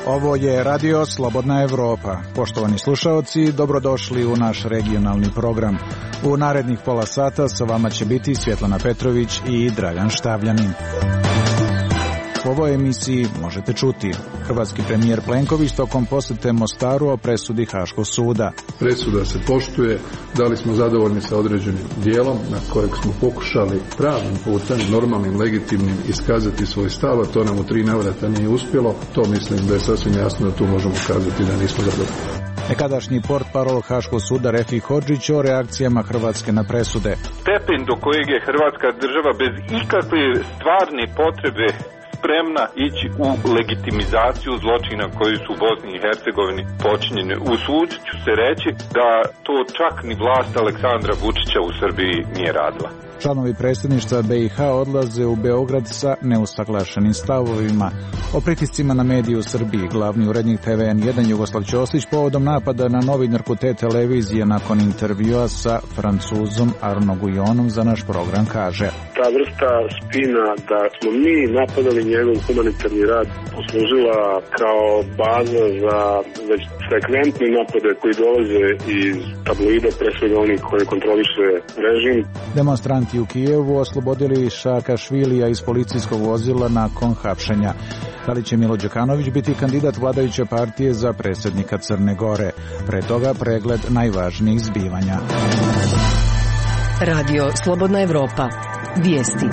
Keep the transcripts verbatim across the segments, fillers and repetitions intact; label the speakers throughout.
Speaker 1: Ovo je Radio Slobodna Evropa. Poštovani slušaoci, dobrodošli u naš regionalni program. U narednih pola sata sa vama će biti Svjetlana Petrović i Dragan Štavljanin. U ovoj emisiji možete čuti: hrvatski premijer Plenković tokom posjete Mostaru o presudi Haškog suda.
Speaker 2: Presuda se poštuje, da li smo zadovoljni sa određenim dijelom na kojeg smo pokušali pravnim putem, normalnim, legitimnim, iskazati svoj stav, a to nam u tri navrata nije uspjelo. To mislim da je sasvim jasno da tu možemo kazati da nismo zadovoljni.
Speaker 1: Nekadašnji portparol Haškog suda Refik Hodžić o reakcijama Hrvatske na presude.
Speaker 3: Stepen do kojeg je Hrvatska država bez ikakve stvarne potrebe spremna ići u legitimizaciju zločina koji su u Bosni i Hercegovini počinjeni. Usudit ću se reći da to čak ni vlast Aleksandra Vučića u Srbiji nije radila.
Speaker 1: Članovi predsjedništva B i H odlaze u Beograd sa neusaglašenim stavovima. O pritiscima na medije u Srbiji glavni urednik T V N jedan Jugoslav Ćosić povodom napada na novinarku te televizije nakon intervjua sa Francuzom Arno Gujonom za naš program kaže:
Speaker 4: ta vrsta spina da smo mi napadali njegov humanitarni rad poslužila kao baza za već frekventne napade koji dolaze iz tabloida, pre svega onih koje kontroliše režim.
Speaker 1: Demonstranti u Kijevu oslobodili Šakašvilija iz policijskog vozila nakon hapšenja. Da li će Milo Đukanović biti kandidat vladajuće partije za predsjednika Crne Gore? Pre toga pregled najvažnijih zbivanja.
Speaker 5: Radio Slobodna Evropa. Vijesti.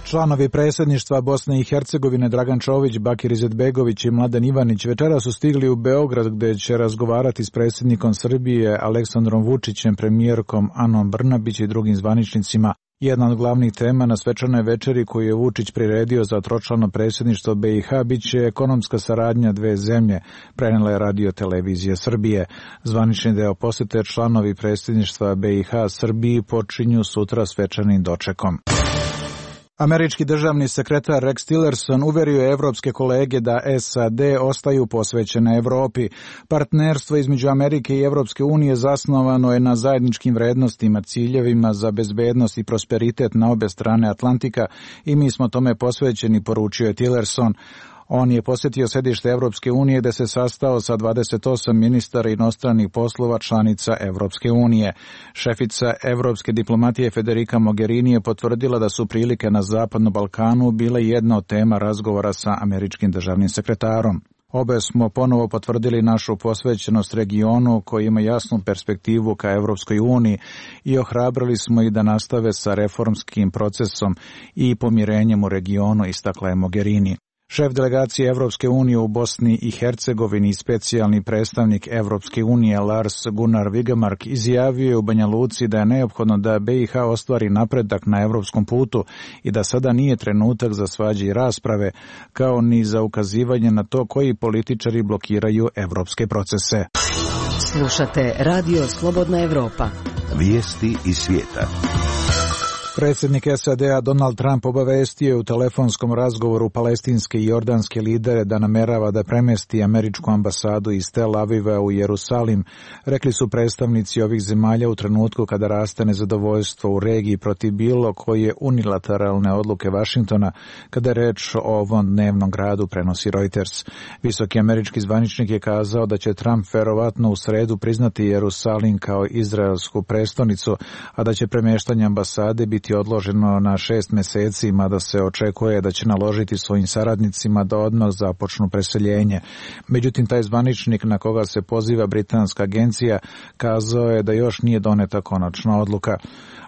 Speaker 1: Članovi predsjedništva Bosne i Hercegovine Dragan Čović, Bakir Izetbegović i Mladen Ivanić večeras su stigli u Beograd gdje će razgovarati s predsjednikom Srbije Aleksandrom Vučićem, premijerkom Anom Brnabić i drugim zvaničnicima. Jedna od glavnih tema na svečanoj večeri koju je Vučić priredio za tročlano predsjedništvo B i H bit će ekonomska saradnja dve zemlje, prenijela je Radio Televizija Srbije. Zvanični deo posjete članovi predsjedništva B i H Srbiji počinju sutra svečanim dočekom. Američki državni sekretar Rex Tillerson uverio je evropske kolege da S A D ostaju posvećene Evropi. Partnerstvo između Amerike i Evropske unije zasnovano je na zajedničkim vrednostima, ciljevima za bezbednost i prosperitet na obe strane Atlantika i mi smo tome posvećeni, poručio je Tillerson. On je posjetio sedište Evropske unije gdje se sastao sa dvadeset osam ministara inostranih poslova članica Evropske unije. Šefica evropske diplomatije Federica Mogherini je potvrdila da su prilike na Zapadnom Balkanu bile jedna od tema razgovora sa američkim državnim sekretarom. Obe smo ponovo potvrdili našu posvećenost regionu koji ima jasnu perspektivu ka Evropskoj uniji i ohrabrili smo ih da nastave sa reformskim procesom i pomirenjem u regionu, istakla je Mogherini. Šef delegacije Evropske unije u Bosni i Hercegovini i specijalni predstavnik Evropske unije Lars Gunnar Vigemark izjavio je u Banja Luci da je neophodno da B i H ostvari napredak na evropskom putu i da sada nije trenutak za svađe i rasprave, kao ni za ukazivanje na to koji političari blokiraju evropske procese.
Speaker 5: Slušate Radio Slobodna Evropa.
Speaker 6: Vijesti iz svijeta.
Speaker 1: Predsjednik S A D-a Donald Trump obavestio je u telefonskom razgovoru palestinske i jordanske lidere da namerava da premjesti američku ambasadu iz Tel Aviva u Jerusalim, rekli su predstavnici ovih zemalja u trenutku kada raste nezadovoljstvo u regiji protiv bilo koje unilateralne odluke Vašingtona, kada je reč o ovom dnevnom gradu, prenosi Reuters. Visoki američki zvaničnik je kazao da će Trump verovatno u sredu priznati Jerusalim kao izraelsku prestonicu, a da će premještanje ambasade biti odloženo na šest mjeseci, mada se očekuje da će naložiti svojim saradnicima da odmah započnu preseljenje. Međutim, taj zvaničnik na koga se poziva britanska agencija kazao je da još nije doneta konačna odluka.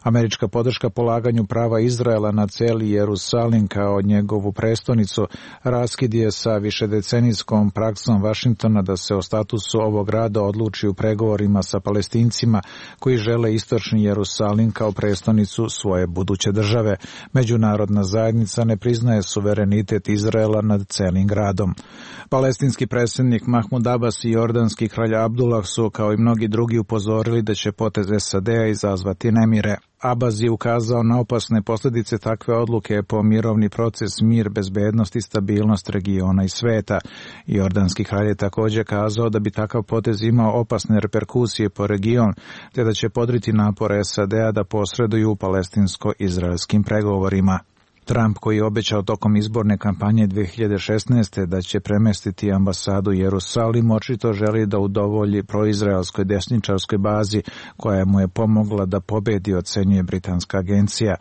Speaker 1: Američka podrška polaganju prava Izraela na cijeli Jerusalim kao njegovu prestonicu raskid je sa višedecenijskom praksom Vašingtona da se o statusu ovog grada odluči u pregovorima sa Palestincima koji žele istočni Jerusalim kao prestonicu svoje buduće države. Međunarodna zajednica ne priznaje suverenitet Izraela nad celim gradom. Palestinski predsjednik Mahmud Abbas i jordanski kralj Abdullah su, kao i mnogi drugi, upozorili da će potez S A D-a izazvati nemire. Abbas je ukazao na opasne posljedice takve odluke po mirovni proces, mir, bezbednost i stabilnost regiona i sveta. Jordanski kralj je također kazao da bi takav potez imao opasne reperkusije po region, te da će podriti napore S A D-a da posreduju u palestinsko-izraelskim pregovorima. Trump, koji je obećao tokom izborne kampanje dvije hiljade šesnaeste. da će premestiti ambasadu u Jerusalim, očito želi da udovolji proizraelskoj desničarskoj bazi koja mu je pomogla da pobedi, ocenjuje britanska agencija.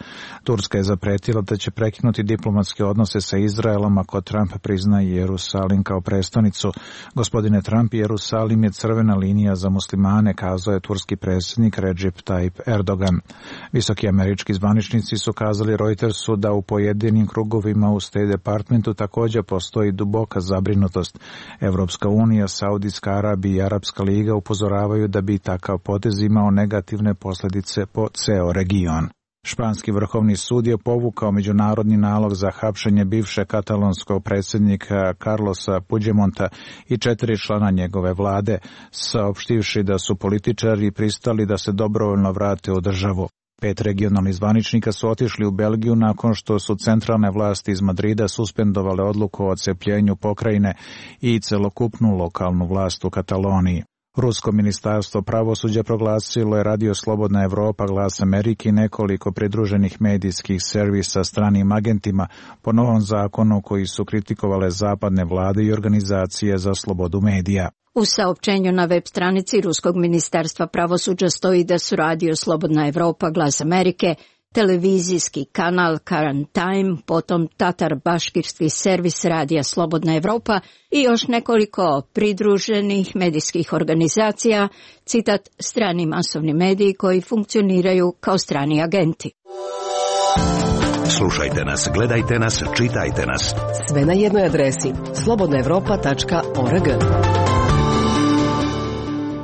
Speaker 1: Turska je zapretila da će prekinuti diplomatske odnose sa Izraelom ako Trump prizna Jerusalim kao prestonicu. Gospodine Trump, Jerusalim je crvena linija za muslimane, kazao je turski predsjednik Recep Tayyip Erdogan. Visoki američki zvaničnici su kazali Reutersu da u pojedinim krugovima u State Departmentu također postoji duboka zabrinutost. Evropska unija, Saudijska Arabija i Arapska liga upozoravaju da bi takav potez imao negativne posljedice po ceo region. Španski vrhovni sud je povukao međunarodni nalog za hapšenje bivše katalonskog predsjednika Carlosa Puigdemonta i četiri člana njegove vlade, saopštivši da su političari pristali da se dobrovoljno vrate u državu. Pet regionalnih zvaničnika su otišli u Belgiju nakon što su centralne vlasti iz Madrida suspendovale odluku o odcepljenju pokrajine i celokupnu lokalnu vlast u Kataloniji. Rusko ministarstvo pravosuđa proglasilo je Radio Slobodna Evropa, Glas Amerike i nekoliko pridruženih medijskih servisa stranim agentima po novom zakonu koji su kritikovale zapadne vlade i organizacije za slobodu medija.
Speaker 7: U saopćenju na web stranici Ruskog ministarstva pravosuđa stoji da su Radio Slobodna Evropa, Glas Amerike, televizijski kanal Current Time, potom tatar-baškirski servis Radija Slobodna Evropa i još nekoliko pridruženih medijskih organizacija, citat, strani masovni mediji koji funkcioniraju kao strani agenti.
Speaker 6: Slušajte nas, gledajte nas, čitajte nas.
Speaker 5: Sve na jednoj adresi slobodna evropa tačka org.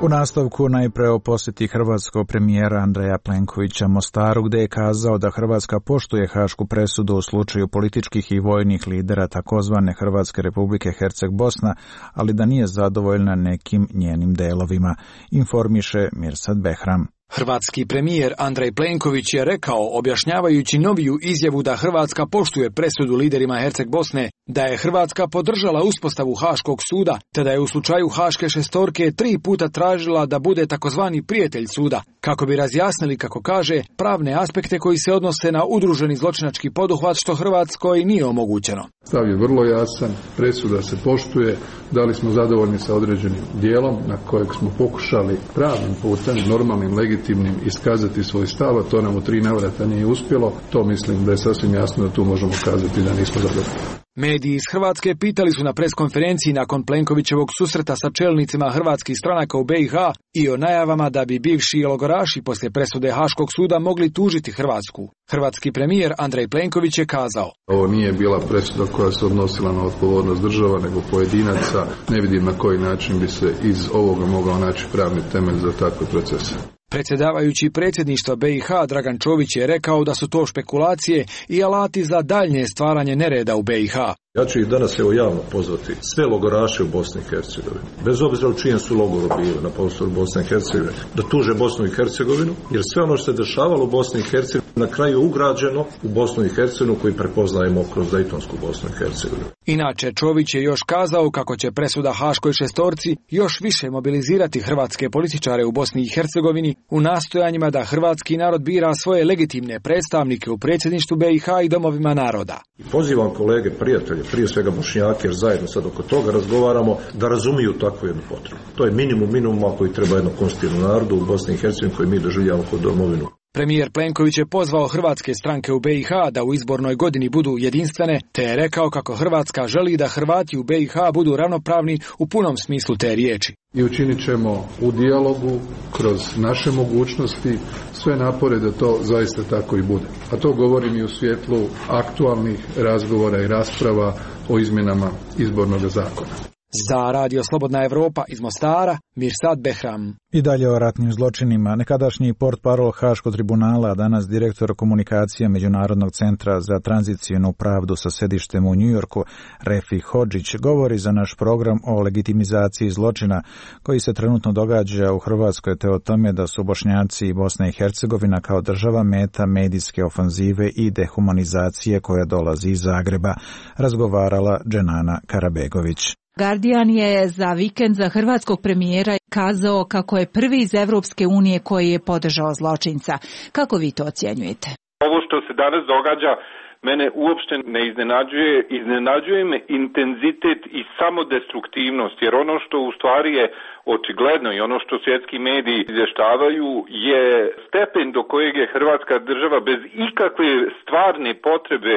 Speaker 1: U nastavku najpre o posjeti hrvatskog premijera Andreja Plenkovića Mostaru, gdje je kazao da Hrvatska poštuje hašku presudu u slučaju političkih i vojnih lidera takozvane Hrvatske Republike Herceg-Bosna, ali da nije zadovoljna nekim njenim delovima, informiše Mirsad Behram.
Speaker 8: Hrvatski premijer Andrej Plenković je rekao, objašnjavajući noviju izjavu da Hrvatska poštuje presudu liderima Herceg Bosne, da je Hrvatska podržala uspostavu Haškog suda, te da je u slučaju Haške šestorke tri puta tražila da bude takozvani prijatelj suda, kako bi razjasnili, kako kaže, pravne aspekte koji se odnose na udruženi zločinački poduhvat, što Hrvatskoj nije omogućeno.
Speaker 2: Stav je vrlo jasan, presuda se poštuje, da li smo zadovoljni sa određenim dijelom na kojeg smo pokušali pravnim putem, normalnim, legitimnim iskazati svoj stav, a to nam u tri navrata nije uspjelo, to mislim da je sasvim jasno da tu možemo kazati da nismo zadovoljni.
Speaker 8: Mediji iz Hrvatske pitali su na preskonferenciji nakon Plenkovićevog susreta sa čelnicima hrvatskih stranaka u B i H i o najavama da bi bivši logoraši poslije presude Haškog suda mogli tužiti Hrvatsku. Hrvatski premijer Andrej Plenković je kazao:
Speaker 2: ovo nije bila presuda koja se odnosila na odgovornost država, nego pojedinaca. Ne vidim na koji način bi se iz ovoga mogao naći pravni temelj za takve procese.
Speaker 8: Predsjedavajući predsjedništva B i H Dragan Čović je rekao da su to špekulacije i alati za daljnje stvaranje nereda u B i H.
Speaker 9: Ja ću ih danas evo javno pozvati sve logoraše u Bosni i Hercegovini, bez obzira u čijem su logoru bili na prostoru Bosne i Hercegovine, da tuže Bosnu i Hercegovinu, jer sve ono što se dešavalo u Bosni i Hercegovini na kraju ugrađeno u Bosnu i Hercegovinu koji prepoznajemo kroz Dejtonsku Bosnu i Hercegovinu.
Speaker 8: Inače, Čović je još kazao kako će presuda Haškoj šestorci još više mobilizirati hrvatske političare u Bosni i Hercegovini u nastojanjima da hrvatski narod bira svoje legitimne predstavnike u predsjedništvu B i H i domovima naroda.
Speaker 9: I pozivam kolege, prijatelje, prije svega Bošnjake, jer zajedno sad oko toga razgovaramo, da razumiju takvu jednu potrebu. To je minimum minimuma koji treba jedno konstitutivnom narodu u Bosni i Hercegovini koji mi doživljavamo kao domovinu.
Speaker 8: Premijer Plenković je pozvao hrvatske stranke u B i H da u izbornoj godini budu jedinstvene, te je rekao kako Hrvatska želi da Hrvati u B i H budu ravnopravni u punom smislu te riječi.
Speaker 2: I učinit ćemo u dijalogu, kroz naše mogućnosti, sve napore da to zaista tako i bude. A to govorim i u svjetlu aktualnih razgovora i rasprava o izmjenama izbornog zakona.
Speaker 8: Za Radio Slobodna Evropa iz Mostara, Mirsad Behram.
Speaker 1: I dalje o ratnim zločinima. Nekadašnji portparol Haškog tribunala, a danas direktor komunikacija Međunarodnog centra za tranzicijnu pravdu sa sedištem u Njujorku, Refi Hodžić, govori za naš program o legitimizaciji zločina koji se trenutno događa u Hrvatskoj, te o tome da su Bošnjaci i Bosna i Hercegovina kao država meta medijske ofanzive i dehumanizacije koja dolazi iz Zagreba, razgovarala Dženana Karabegović.
Speaker 10: Guardian je za vikend za hrvatskog premijera kazao kako je prvi iz Evropske unije koji je podržao zločinca. Kako vi to ocjenjujete?
Speaker 3: Ovo što se danas događa mene uopšte ne iznenađuje. Iznenađuje me intenzitet i samodestruktivnost, jer ono što u stvari je očigledno i ono što svjetski mediji izvještavaju je stepen do kojeg je Hrvatska država bez ikakve stvarne potrebe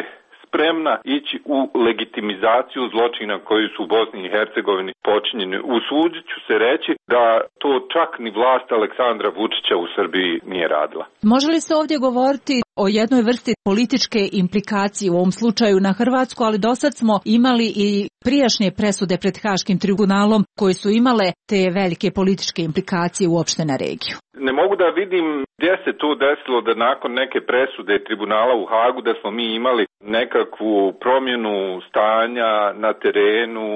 Speaker 3: spremna ići u legitimizaciju zločina koji su u Bosni i Hercegovini počinjeni. Usudit ću se reći da to čak ni vlast Aleksandra Vučića u Srbiji nije radila.
Speaker 10: Može li se ovdje govoriti o jednoj vrsti političke implikacije u ovom slučaju na Hrvatsku, ali dosad smo imali i prijašnje presude pred Haškim tribunalom koje su imale te velike političke implikacije uopšte na regiju?
Speaker 3: Ne mogu da vidim gdje se to desilo da nakon neke presude tribunala u Hagu da smo mi imali nekakvu promjenu stanja na terenu,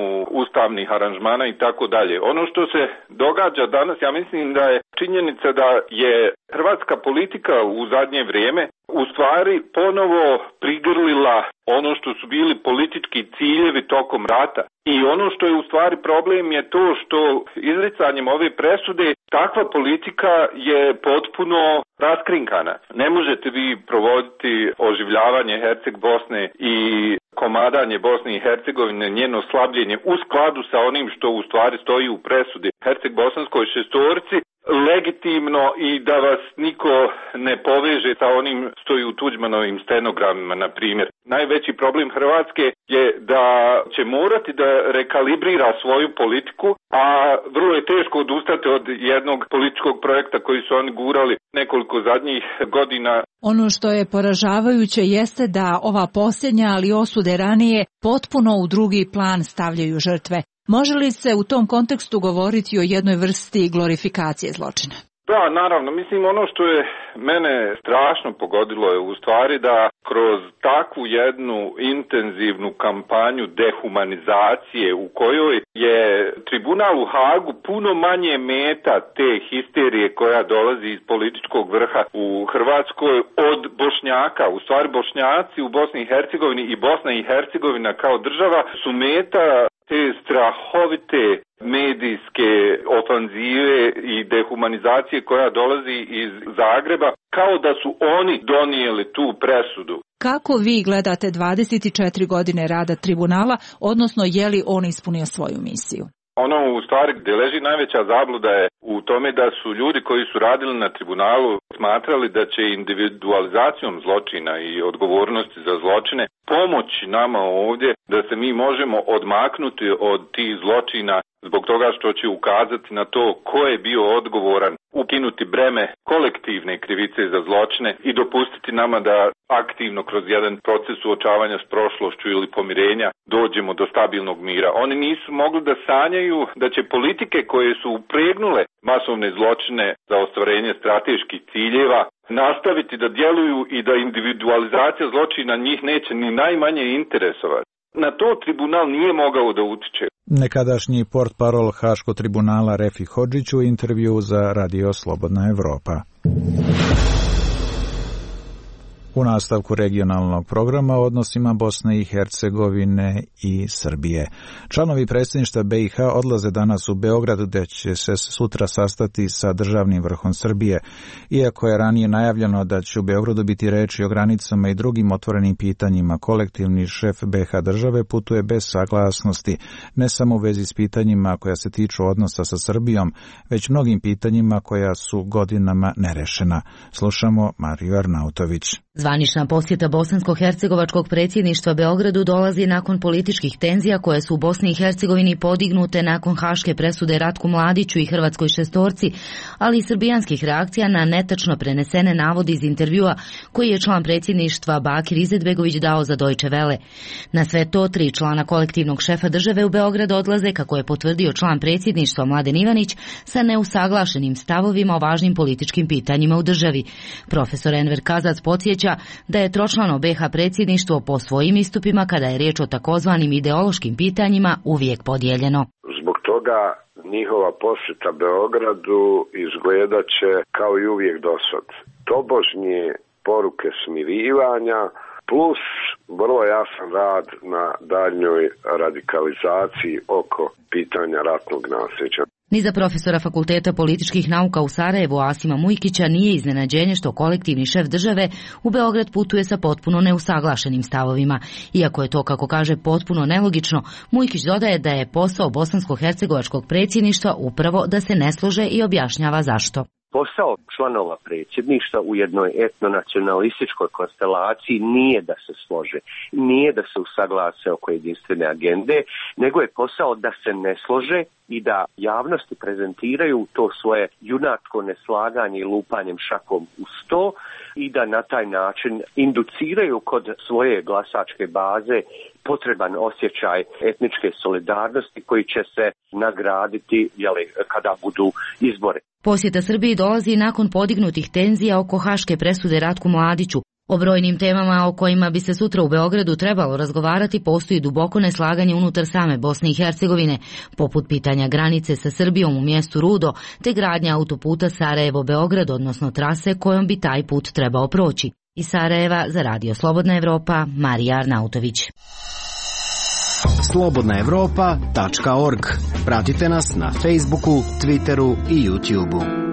Speaker 3: ustavnih aranžmana i tako dalje. Ono što se događa danas, ja mislim da je činjenica da je hrvatska politika u zadnje vrijeme u stvari ponovo prigrlila ono što su bili politički ciljevi tokom rata. I ono što je u stvari problem je to što izricanjem ove presude takva politika je potpuno raskrinkana. Ne možete vi provoditi oživljavanje Herceg Bosne i komadanje Bosne i Hercegovine, njeno slabljenje u skladu sa onim što u stvari stoji u presudi Herceg Bosanskoj šestorci legitimno i da vas niko ne poveže sa onim stoji u Tuđmanovim stenogramima, na primjer. Najveći problem Hrvatske je da će morati da rekalibrira svoju politiku, a vrlo je teško odustati od jednog političkog projekta koji su oni gurali nekoliko zadnjih godina.
Speaker 10: Ono što je poražavajuće jeste da ova posljednja, ali osude ranije, potpuno u drugi plan stavljaju žrtve. Može li se u tom kontekstu govoriti o jednoj vrsti glorifikacije zločina?
Speaker 3: Da, naravno. Mislim, ono što je mene strašno pogodilo je u stvari da kroz takvu jednu intenzivnu kampanju dehumanizacije u kojoj je tribunal u Hagu puno manje meta te histerije koja dolazi iz političkog vrha u Hrvatskoj od Bošnjaka. U stvari Bošnjaci u Bosni i Hercegovini i Bosna i Hercegovina kao država su meta te strahovite medijske ofanzive i dehumanizacije koja dolazi iz Zagreba, kao da su oni donijeli tu presudu.
Speaker 10: Kako vi gledate dvadeset četiri godine rada tribunala, odnosno je li on ispunio svoju misiju?
Speaker 3: Ono u stvari gdje leži najveća zabluda je u tome da su ljudi koji su radili na tribunalu smatrali da će individualizacijom zločina i odgovornosti za zločine pomoći nama ovdje da se mi možemo odmaknuti od tih zločina zbog toga što će ukazati na to ko je bio odgovoran, ukinuti breme kolektivne krivice za zločine i dopustiti nama da aktivno kroz jedan proces suočavanja s prošlošću ili pomirenja dođemo do stabilnog mira. Oni nisu mogli da sanjaju da će politike koje su upregnule masovne zločine za ostvarenje strateških ciljeva nastaviti da djeluju i da individualizacija zločina njih neće ni najmanje interesovati. Na to tribunal nije mogao da utiče.
Speaker 1: Nekadašnji portparol Haškog tribunala Refi Hodžić u intervju za Radio Slobodna Evropa. U nastavku regionalnog programa o odnosima Bosne i Hercegovine i Srbije. Članovi predsjedništva B i H odlaze danas u Beograd, gdje će se sutra sastati sa državnim vrhom Srbije. Iako je ranije najavljeno da će u Beogradu biti reči o granicama i drugim otvorenim pitanjima, kolektivni šef B i H države putuje bez saglasnosti, ne samo u vezi s pitanjima koja se tiču odnosa sa Srbijom, već mnogim pitanjima koja su godinama nerešena. Slušamo Mariju Arnautović.
Speaker 11: Zvanična posjeta bosansko-hercegovačkog predsjedništva Beogradu dolazi nakon političkih tenzija koje su u Bosni i Hercegovini podignute nakon haške presude Ratku Mladiću i hrvatskoj šestorci, ali i srbijanskih reakcija na netačno prenesene navode iz intervjua koji je član predsjedništva Bakir Izetbegović dao za Deutsche Welle. Na sve to tri člana kolektivnog šefa države u Beograd odlaze, kako je potvrdio član predsjedništva Mladen Ivanić, sa neusaglašenim stavovima o važnim političkim pitanjima u državi. Profesor Enver Kazac podsjeća da je tročlano be ha predsjedništvo po svojim istupima, kada je riječ o takozvanim ideološkim pitanjima, uvijek podijeljeno.
Speaker 12: Zbog toga njihova posjeta Beogradu izgledat će kao i uvijek dosad. Tobožnje poruke smirivanja plus vrlo jasan rad na daljnjoj radikalizaciji oko pitanja ratnog nasljeđa.
Speaker 11: Ni za profesora Fakulteta političkih nauka u Sarajevu Asima Mujkića nije iznenađenje što kolektivni šef države u Beograd putuje sa potpuno neusaglašenim stavovima. Iako je to, kako kaže, potpuno nelogično, Mujkić dodaje da je posao bosansko-hercegovačkog predsjedništva upravo da se ne slože i objašnjava zašto.
Speaker 13: Posao članova predsjedništva u jednoj etnonacionalističkoj konstelaciji nije da se slože, nije da se usaglase oko jedinstvene agende, nego je posao da se ne slože i da javnosti prezentiraju to svoje junačko neslaganje i lupanjem šakom u sto i da na taj način induciraju kod svoje glasačke baze potreban osjećaj etničke solidarnosti koji će se nagraditi jeli, kada budu izbori.
Speaker 11: Posjeta Srbiji dolazi nakon podignutih tenzija oko haške presude Ratku Mladiću. O brojnim temama o kojima bi se sutra u Beogradu trebalo razgovarati postoji duboko neslaganje unutar same Bosne i Hercegovine, poput pitanja granice sa Srbijom u mjestu Rudo, te gradnja autoputa Sarajevo-Beograd, odnosno trase kojom bi taj put trebao proći. Iz Sarajeva za Radio Slobodna Evropa, Marija Arnautović.
Speaker 14: slobodna evropa tačka org. Pratite nas na Facebooku, Twitteru i YouTubeu.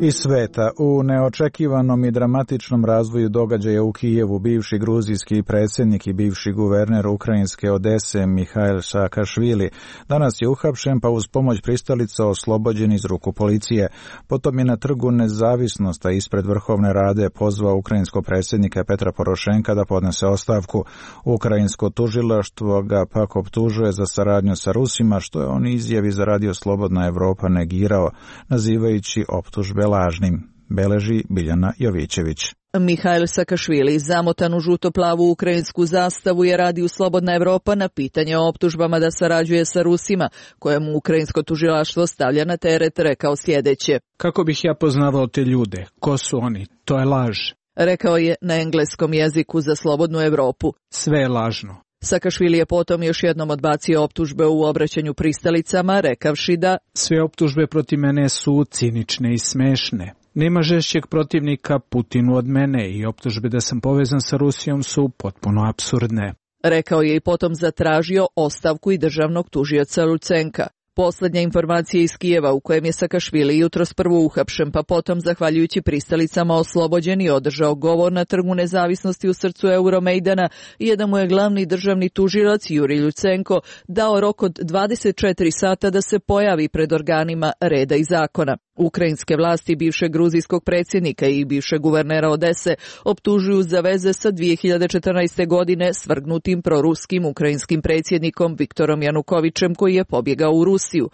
Speaker 1: Iz sveta, u neočekivanom i dramatičnom razvoju događaja u Kijevu, bivši gruzijski predsjednik i bivši guverner ukrajinske Odese Mihail Saakašvili danas je uhapšen, pa uz pomoć pristalica oslobođen iz ruku policije. Potom je na Trgu Nezavisnosti ispred Vrhovne Rade pozvao ukrajinskog predsjednika Petra Porošenka da podnese ostavku. Ukrajinsko tužilaštvo ga pak optužuje za saradnju sa Rusima, što je on izjavi za Radio Slobodna Evropa negirao, nazivajući optužbe lažnim, beleži Biljana Jovićević.
Speaker 15: Mihail Saakašvili, zamotan u žuto-plavu ukrajinsku zastavu, je Radio Slobodna Evropa na pitanje o optužbama da sarađuje sa Rusima, kojemu ukrajinsko tužilaštvo stavlja na teret, rekao sljedeće.
Speaker 16: Kako bih ja poznavao te ljude? Ko su oni? To je laž.
Speaker 15: Rekao je na engleskom jeziku za Slobodnu Evropu.
Speaker 16: Sve je lažno.
Speaker 15: Saakašvili je potom još jednom odbacio optužbe u obraćanju pristalicama, rekavši da
Speaker 16: sve optužbe protiv mene su cinične i smešne. Nema žešćeg protivnika Putinu od mene i optužbe da sam povezan sa Rusijom su potpuno apsurdne.
Speaker 15: Rekao je i potom zatražio ostavku i državnog tužioca Lucenka. Posljednja informacija iz Kijeva, u kojem je Saakašvili jutros prvo uhapšen, pa potom, zahvaljujući pristalicama, oslobođen i održao govor na Trgu Nezavisnosti u srcu Euromejdana, je da mu je glavni državni tužilac Jurij Lucenko dao rok od dvadeset četiri sata da se pojavi pred organima reda i zakona. Ukrajinske vlasti bivšeg gruzijskog predsjednika i bivšeg guvernera Odese optužuju za veze sa dvije hiljade četrnaeste. godine svrgnutim proruskim ukrajinskim predsjednikom Viktorom Janukovićem, koji je pobjegao u Rusiju.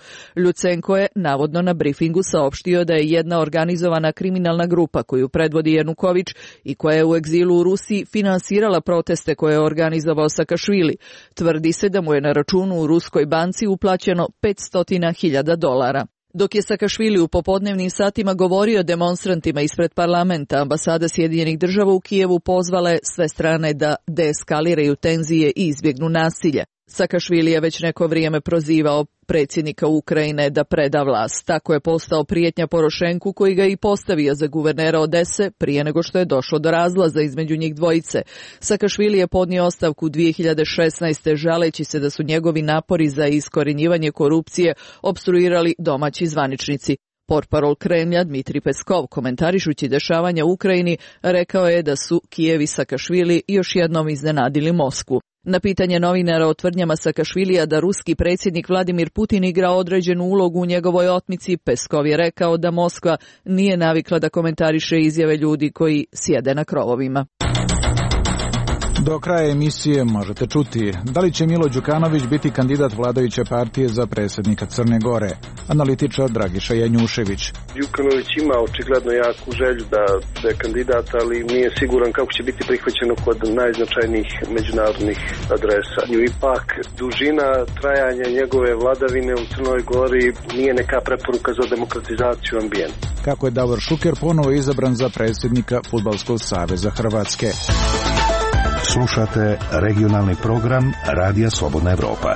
Speaker 15: Lucenko je navodno na brifingu saopštio da je jedna organizovana kriminalna grupa koju predvodi Januković i koja je u egzilu u Rusiji finansirala proteste koje je organizovao Saakašvili. Tvrdi se da mu je na računu u ruskoj banci uplaćeno petsto hiljada dolara. Dok je Saakašvili u popodnevnim satima govorio demonstrantima ispred parlamenta, ambasada Sjedinjenih Država u Kijevu pozvala je sve strane da deeskaliraju tenzije i izbjegnu nasilje. Saakašvili je već neko vrijeme prozivao predsjednika Ukrajine da preda vlast. Tako je postao prijetnja Porošenku, koji ga i postavio za guvernera Odese prije nego što je došlo do razlaza između njih dvojice. Saakašvili je podnio ostavku dvije hiljade šesnaeste. žaleći se da su njegovi napori za iskorjenjivanje korupcije opstruirali domaći zvaničnici. Portparol Kremlja Dmitrij Peskov, komentarišući dešavanja u Ukrajini, rekao je da su Kijev i Saakašvili još jednom iznenadili Moskvu. Na pitanje novinara o tvrdnjama Sakašvilija da ruski predsjednik Vladimir Putin igra određenu ulogu u njegovoj otmici, Peskov je rekao da Moskva nije navikla da komentariše izjave ljudi koji sjede na krovovima.
Speaker 1: Do kraja emisije možete čuti da li će Milo Đukanović biti kandidat vladajuće partije za predsjednika Crne Gore. Analitičar Dragiša Janjušević.
Speaker 17: Đukanović ima očigledno jaku želju da je kandidat, ali nije siguran kako će biti prihvaćeno kod najznačajnijih međunarodnih adresa. Ipak dužina trajanja njegove vladavine u Crnoj Gori nije neka preporuka za demokratizaciju ambijenta.
Speaker 1: Kako je Davor Šuker ponovo izabran za predsjednika Fudbalskog saveza Hrvatske.
Speaker 6: Slušate regionalni program Radija Slobodna Evropa.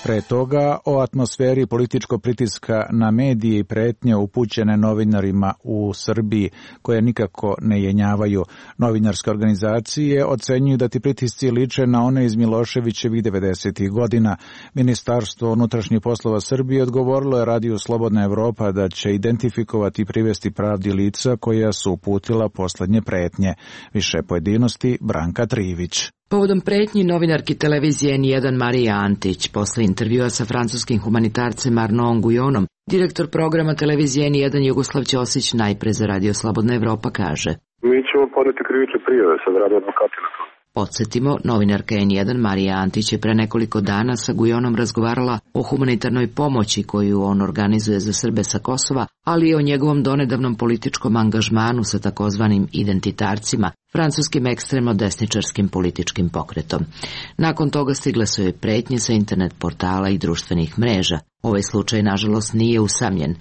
Speaker 1: Pre toga o atmosferi političkog pritiska na medije i pretnje upućene novinarima u Srbiji, koje nikako ne jenjavaju. Novinarske organizacije ocenjuju da ti pritisci liče na one iz Miloševićevih devedesetih godina. Ministarstvo unutrašnjih poslova Srbije odgovorilo je Radiju Slobodna Evropa da će identifikovati i privesti pravdi lica koja su uputila poslednje pretnje. Više pojedinosti Branka Trivić.
Speaker 18: Povodom pretnji novinarki televizije N jedan Marija Antić, posle intervjua sa francuskim humanitarcem Arnaudom Guyonom, direktor programa televizije N jedan Jugoslav Ćosić najpre za Radio Slobodna Evropa kaže:
Speaker 4: Mi ćemo podneti krivične prijave, sad rade advokati na to.
Speaker 18: Podsjetimo, novinarka N jedan Marija Antić je pre nekoliko dana sa Guyonom razgovarala o humanitarnoj pomoći koju on organizuje za Srbe sa Kosova, ali i o njegovom donedavnom političkom angažmanu sa takozvanim identitarcima, francuskim ekstremno desničarskim političkim pokretom. Nakon toga stigle su joj pretnje sa internet portala i društvenih mreža. Ovaj slučaj, nažalost, nije usamljen.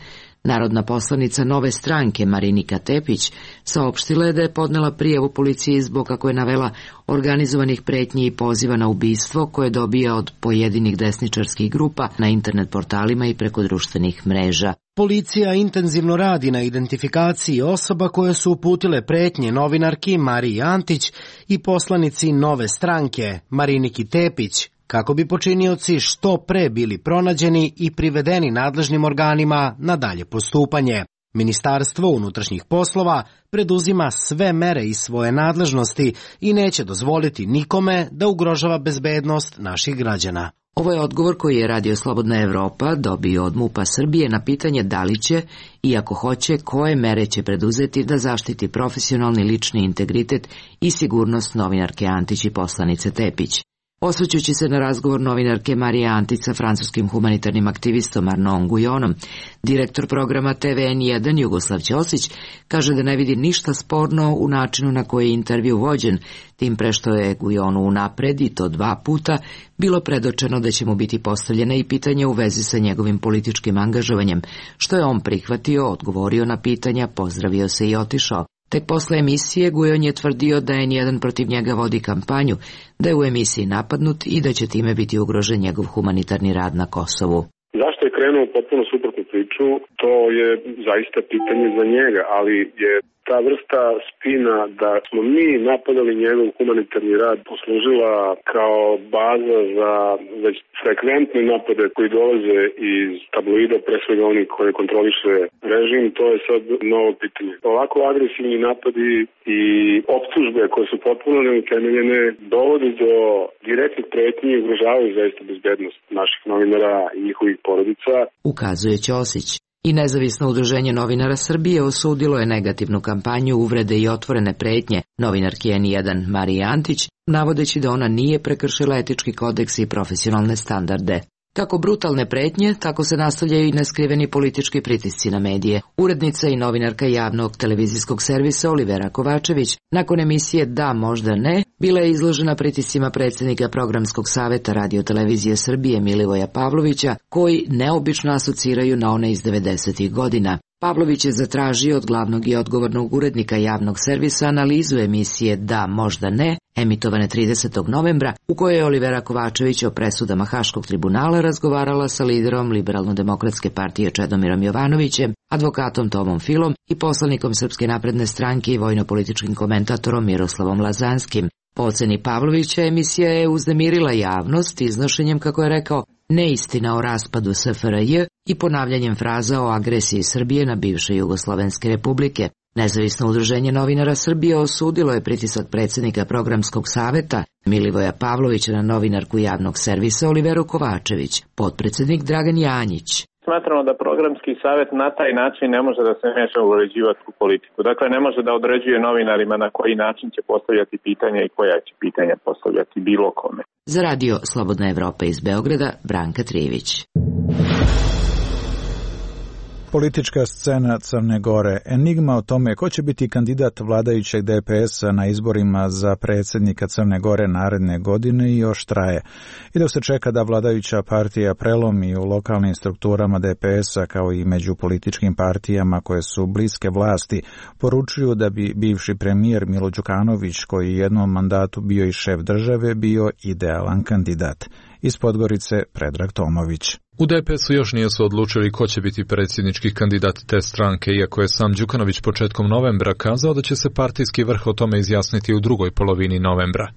Speaker 18: Narodna poslanica Nove stranke Marinika Tepić saopštila je da je podnela prijavu policiji zbog, kako je navela, organizovanih pretnji i poziva na ubistvo koje dobija od pojedinih desničarskih grupa na internet portalima i preko društvenih mreža.
Speaker 14: Policija intenzivno radi na identifikaciji osoba koje su uputile pretnje novinarki Mariji Antić i poslanici Nove stranke Mariniki Tepić, kako bi počinioci što pre bili pronađeni i privedeni nadležnim organima na dalje postupanje. Ministarstvo unutrašnjih poslova preduzima sve mere iz svoje nadležnosti i neće dozvoliti nikome da ugrožava bezbednost naših građana.
Speaker 18: Ovo je odgovor koji je Radio Slobodna Evropa dobio od MUP-a Srbije na pitanje da li će, i ako hoće, koje mere će preduzeti da zaštiti profesionalni lični integritet i sigurnost novinarke Antić i poslanice Tepić. Osvrćući se na razgovor novinarke Marije Antić sa francuskim humanitarnim aktivistom Arnaudom Guyonom, direktor programa T V N jedan Jugoslav Ćosić kaže da ne vidi ništa sporno u načinu na koji je intervju vođen, tim pre što je Guyonu unapred, i to dva puta, bilo predočeno da će mu biti postavljena i pitanja u vezi sa njegovim političkim angažovanjem, što je on prihvatio, odgovorio na pitanja, pozdravio se i otišao. Tek posle emisije Guyon je tvrdio da N jedan protiv njega vodi kampanju, da je u emisiji napadnut i da će time biti ugrožen njegov humanitarni rad na Kosovu.
Speaker 4: Zašto je krenuo potpuno suprotnu priču, to je zaista pitanje za njega, ali je ta vrsta spina da smo mi napadali njegov humanitarni rad poslužila kao baza za već frekventne napade koji dolaze iz tabloida, pre svega oni koje kontroliše režim, to je sad novo pitanje. Ovako agresivni napadi i optužbe koje su potpuno neutemeljene dovodi do direktnih pretnji i ugrožavaju zaista bezbednost naših novinara i njihovih porodica.
Speaker 18: Ukazuje Ćosić. I nezavisno udruženje novinara Srbije osudilo je negativnu kampanju uvrede i otvorene pretnje novinarki N jedan Marije Antić, navodeći da ona nije prekršila etički kodeks i profesionalne standarde. Kako brutalne pretnje, tako se nastavljaju i neskriveni politički pritisci na medije. Urednica i novinarka javnog televizijskog servisa Olivera Kovačević, nakon emisije Da, možda ne, bila je izložena pritiscima predsjednika Programskog saveta Radio-televizije Srbije Milivoja Pavlovića, koji neobično asociraju na one iz devedesetih godina. Pavlović je zatražio od glavnog i odgovornog urednika javnog servisa analizu emisije Da, možda ne, emitovane tridesetog novembra, u kojoj je Olivera Kovačević o presudama Haškog tribunala razgovarala sa liderom Liberalno-demokratske partije Čedomirom Jovanovićem, advokatom Tomom Filom i poslanikom Srpske napredne stranke i vojno-političkim komentatorom Miroslavom Lazanskim. Po oceni Pavlovića, emisija je uznemirila javnost iznošenjem, kako je rekao, neistina o raspadu S F R J i ponavljanjem fraza o agresiji Srbije na bivše Jugoslovenske republike. Nezavisno udruženje novinara Srbije osudilo je pritisak predsjednika programskog saveta Milivoja Pavlovića na novinarku javnog servisa Oliveru Kovačević, potpredsjednik Dragan Janjić.
Speaker 19: Smatramo da programski savjet na taj način ne može da se meša u uređivačku politiku. Dakle, ne može da određuje novinarima na koji način će postavljati pitanja i koja će pitanja postavljati bilo kome.
Speaker 18: Za radio Slobodna Evropa iz Beograda, Branka Trivić.
Speaker 1: Politička scena Crne Gore. Enigma o tome ko će biti kandidat vladajućeg D P S-a na izborima za predsjednika Crne Gore naredne godine još traje. I dok se čeka da vladajuća partija prelomi u lokalnim strukturama D P S-a kao i među političkim partijama koje su bliske vlasti, poručuju da bi bivši premijer Milo Đukanović, koji je jednom mandatu bio i šef države, bio idealan kandidat. Iz Podgorice Predrag Tomović.
Speaker 20: U D P S-u još nisu odlučili ko će biti predsjednički kandidat te stranke, iako je sam Đukanović početkom novembra kazao da će se partijski vrh o tome izjasniti u drugoj polovini novembra.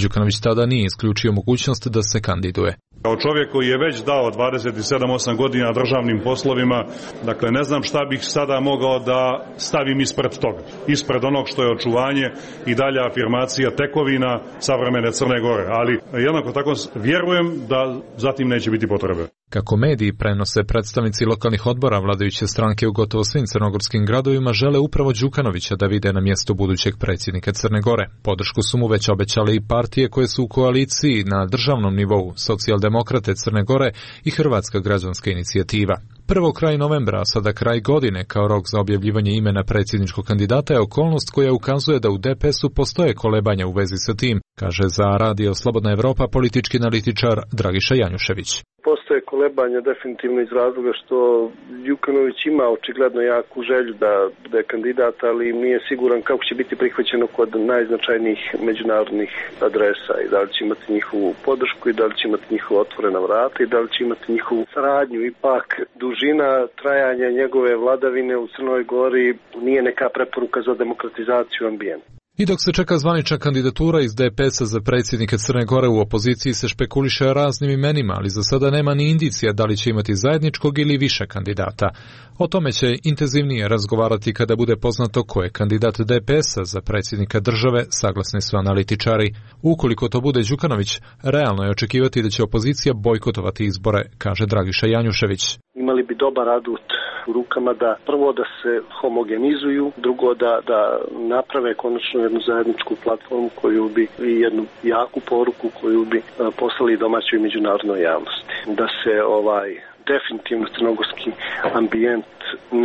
Speaker 20: Đukanović tada nije isključio mogućnost da se kandiduje.
Speaker 21: Kao čovjek koji je već dao dvadeset sedam osam godina državnim poslovima, dakle ne znam šta bih sada mogao da stavim ispred toga. Ispred onog što je očuvanje i dalja afirmacija tekovina savremene Crne Gore, ali jednako tako vjerujem da zatim neće biti potrebe.
Speaker 20: Kako mediji prenose, predstavnici lokalnih odbora vladajuće stranke u gotovo svim crnogorskim gradovima žele upravo Đukanovića da vide na mjestu budućeg predsjednika Crne Gore. Podršku su mu već obećale i partije koje su u koaliciji na državnom nivou, Socijaldemokrate Crne Gore i Hrvatska građanska inicijativa. Prvo kraj novembra, a sada kraj godine kao rok za objavljivanje imena predsjedničkog kandidata je okolnost koja ukazuje da u D P S-u postoje kolebanja u vezi sa tim, kaže za radio Slobodna Evropa politički analitičar Dragiša Janjušević.
Speaker 17: Postoje kolebanja definitivno iz razloga što Đukanović ima očigledno jaku želju da bude kandidat, ali nije siguran kako će biti prihvaćeno kod najznačajnijih međunarodnih adresa i da li će imati njihovu podršku i da li će imati njihova otvorena vrata i da li će imati njihovu saradnju. Ipak dužina trajanja njegove vladavine u Crnoj Gori nije neka preporuka za demokratizaciju ambijenta.
Speaker 20: I dok se čeka zvanična kandidatura iz D P S-a za predsjednike Crne Gore, u opoziciji se špekuliše raznim imenima, ali za sada nema ni indicija da li će imati zajedničkog ili više kandidata. O tome će intenzivnije razgovarati kada bude poznato ko je kandidat D P S-a za predsjednika države, saglasni su analitičari. Ukoliko to bude Đukanović, realno je očekivati da će opozicija bojkotovati izbore, kaže Dragiša Janjušević.
Speaker 17: Imali bi dobar adut u rukama da prvo da se homogenizuju, drugo da, da naprave konačno jednu zajedničku platformu koju bi i jednu jaku poruku koju bi poslali domaćoj međunarodnoj javnosti. Da se ovaj definitivno crnogorski ambijent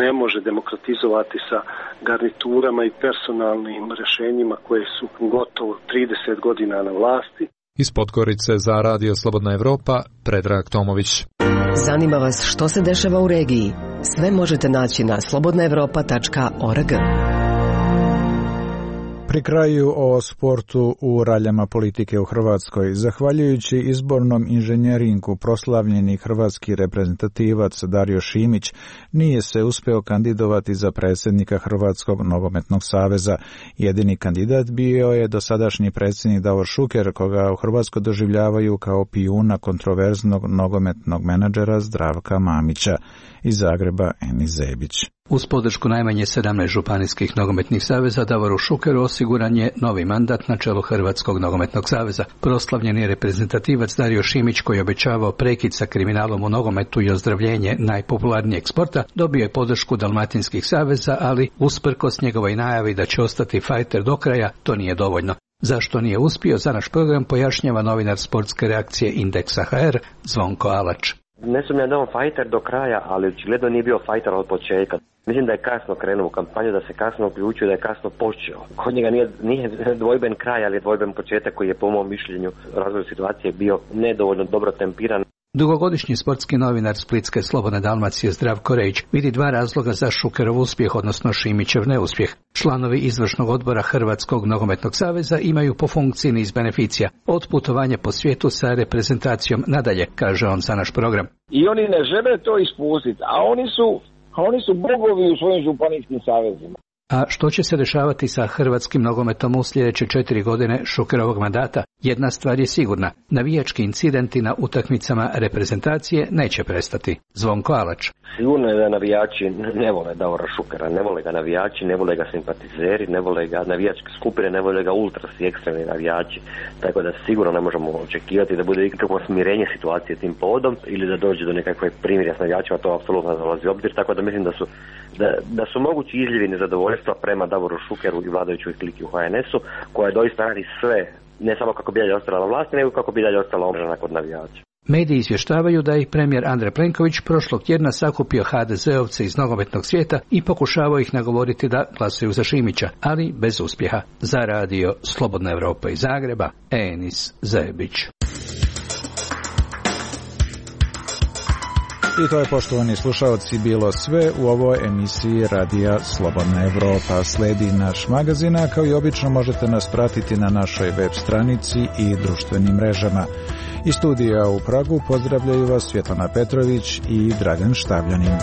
Speaker 17: ne može demokratizovati sa garniturama i personalnim rješenjima koje su gotovo trideset godina na vlasti.
Speaker 20: Iz Podgorice za radio Slobodna Evropa, Predrag Tomović.
Speaker 5: Zanima vas što se dešava u regiji? Sve možete naći na slobodna evropa tačka org.
Speaker 1: Pri kraju o sportu u raljama politike u Hrvatskoj. Zahvaljujući izbornom inženjeringu proslavljeni hrvatski reprezentativac Dario Šimić nije se uspeo kandidovati za predsjednika Hrvatskog nogometnog saveza. Jedini kandidat bio je dosadašnji predsjednik Davor Šuker, koga u Hrvatskoj doživljavaju kao pijuna kontroverznog nogometnog menadžera Zdravka Mamića. Iz Zagreba Eni Zebić.
Speaker 22: Uz podršku najmanje sedamnaest županijskih nogometnih saveza, Davoru Šukeru osiguran je novi mandat na čelu Hrvatskog nogometnog saveza. Proslavljeni reprezentativac Dario Šimić, koji je obećavao prekid sa kriminalom u nogometu i ozdravljenje najpopularnijeg sporta, dobio je podršku dalmatinskih saveza, ali usprkos njegovoj najavi da će ostati fajter do kraja, to nije dovoljno. Zašto nije uspio, za naš program pojašnjava novinar sportske reakcije Indeksa H R Zvonko Alač.
Speaker 23: Ne sumnjam da je on fajter do kraja, ali očigledno nije bio fajter od početka. Mislim da je kasno krenuo u kampanju, da se kasno uključio, da je kasno počeo. Kod njega nije, nije dvojben kraj, ali je dvojben početak koji je po mom mišljenju razvoju situacije bio nedovoljno dobro tempiran.
Speaker 22: Dugogodišnji sportski novinar Splitske Slobodne Dalmacije Zdravko Rejić vidi dva razloga za Šukerov uspjeh, odnosno Šimićev neuspjeh. Članovi izvršnog odbora Hrvatskog nogometnog saveza imaju po funkciji niz beneficija, od putovanja po svijetu sa reprezentacijom nadalje, kaže on za naš program.
Speaker 24: I oni ne žele to ispustiti, a oni su, a oni su bogovi u svojim županijskim savezima.
Speaker 22: A što će se dešavati sa hrvatskim nogometom u sljedeće četiri godine Šukerovog mandata? Jedna stvar je sigurna, navijački incidenti na utakmicama reprezentacije neće prestati. Zvonko Alač.
Speaker 23: Sigurno je da navijači ne vole Davora Šukera, ne vole ga navijači, ne vole ga simpatizeri, ne vole ga navijačke skupine, ne vole ga ultrasi, ekstremni navijači, tako da sigurno ne možemo očekivati da bude ikakvo smirenje situacije tim povodom ili da dođe do nekakve primirja s navijačima, to apsolutno ne dolazi u obzir, tako da mislim da su, da, da su mogući izljevi nezadovoljstva prema Davoru Šukeru i vladajućoj kliki u H N S-u, koja doista radi sve, ne samo kako bi dalje ostala na vlasti, nego kako bi dalje ostala omražena kod navijača.
Speaker 22: Mediji izvještavaju da ih premijer Andrej Plenković prošlog tjedna sakupio ha de zeovce iz nogometnog svijeta i pokušavao ih nagovoriti da glasuju za Šimića, ali bez uspjeha. Za radio Slobodna Evropa iz Zagreba, Enis Zebić.
Speaker 1: I to je, poštovani slušalci, bilo sve u ovoj emisiji Radija Slobodna Evropa. Sledi naš magazin, a kao i obično možete nas pratiti na našoj web stranici i društvenim mrežama. Iz studija u Pragu pozdravljaju vas Svjetlana Petrović i Dragan Štavljanin.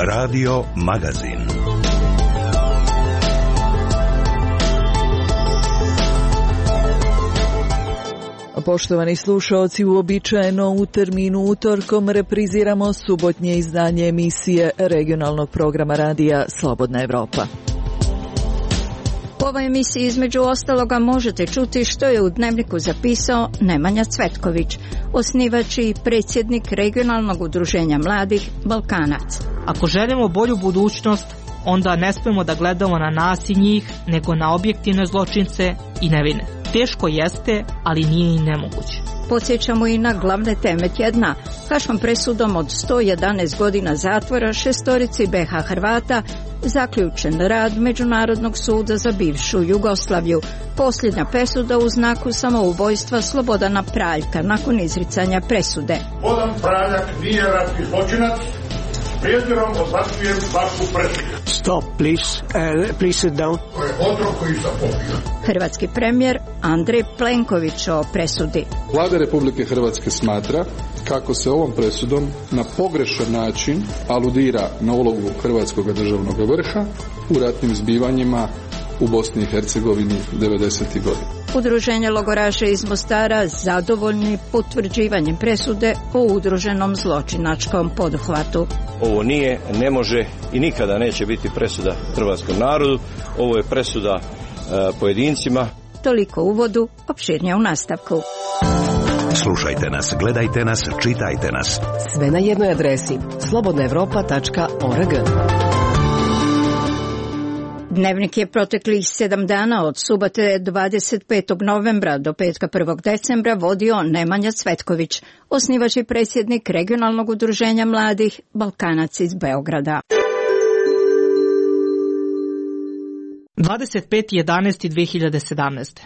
Speaker 6: Radio Magazin.
Speaker 15: Poštovani slušaoci, uobičajeno u terminu utorkom repriziramo subotnje izdanje emisije regionalnog programa radija Slobodna Evropa.
Speaker 2: U ovoj emisiji između ostaloga možete čuti što je u Dnevniku zapisao Nemanja Cvetković, osnivač i predsjednik regionalnog udruženja mladih Balkanac.
Speaker 7: Ako želimo bolju budućnost, onda ne smemo da gledamo na nas i njih, nego na objektivne zločince i nevine. Teško jeste, ali nije i nemoguće.
Speaker 2: Podsjećamo i na glavne teme tjedna. Haškom presudom od sto jedanaest godina zatvora šestorici be ha Hrvata zaključen rad Međunarodnog suda za bivšu Jugoslaviju. Posljednja presuda u znaku samoubojstva Slobodana Praljka nakon izricanja presude.
Speaker 8: Slobodan Praljak nije ratni zločinac. Prijedjerom odbacujem vašu presudu.
Speaker 9: Stop, please. Uh, please sit down.
Speaker 8: To je otrov koji sam popio.
Speaker 2: Hrvatski premijer Andrej Plenković o presudi.
Speaker 25: Vlada Republike Hrvatske smatra kako se ovom presudom na pogrešan način aludira na ulogu hrvatskog državnog vrha u ratnim zbivanjima u Bosni i Hercegovini devedesetih godina.
Speaker 2: Udruženje logoraša iz Mostara zadovoljni potvrđivanjem presude o udruženom zločinačkom poduhvatu.
Speaker 26: Ovo nije, ne može i nikada neće biti presuda hrvatskom narodu. Ovo je presuda e, pojedincima.
Speaker 2: Toliko u uvodu, opširnije u nastavku.
Speaker 6: Slušajte nas, gledajte nas, čitajte nas.
Speaker 5: Sve na jednoj adresi slobodna evropa tačka org.
Speaker 2: Dnevnik je proteklih sedam dana od subote dvadeset petog novembra do petka prvog decembra vodio Nemanja Cvetković, osnivač i predsjednik regionalnog udruženja mladih Balkanac iz Beograda.
Speaker 7: dvadeset peti jedanaesti dve hiljade sedamnaeste.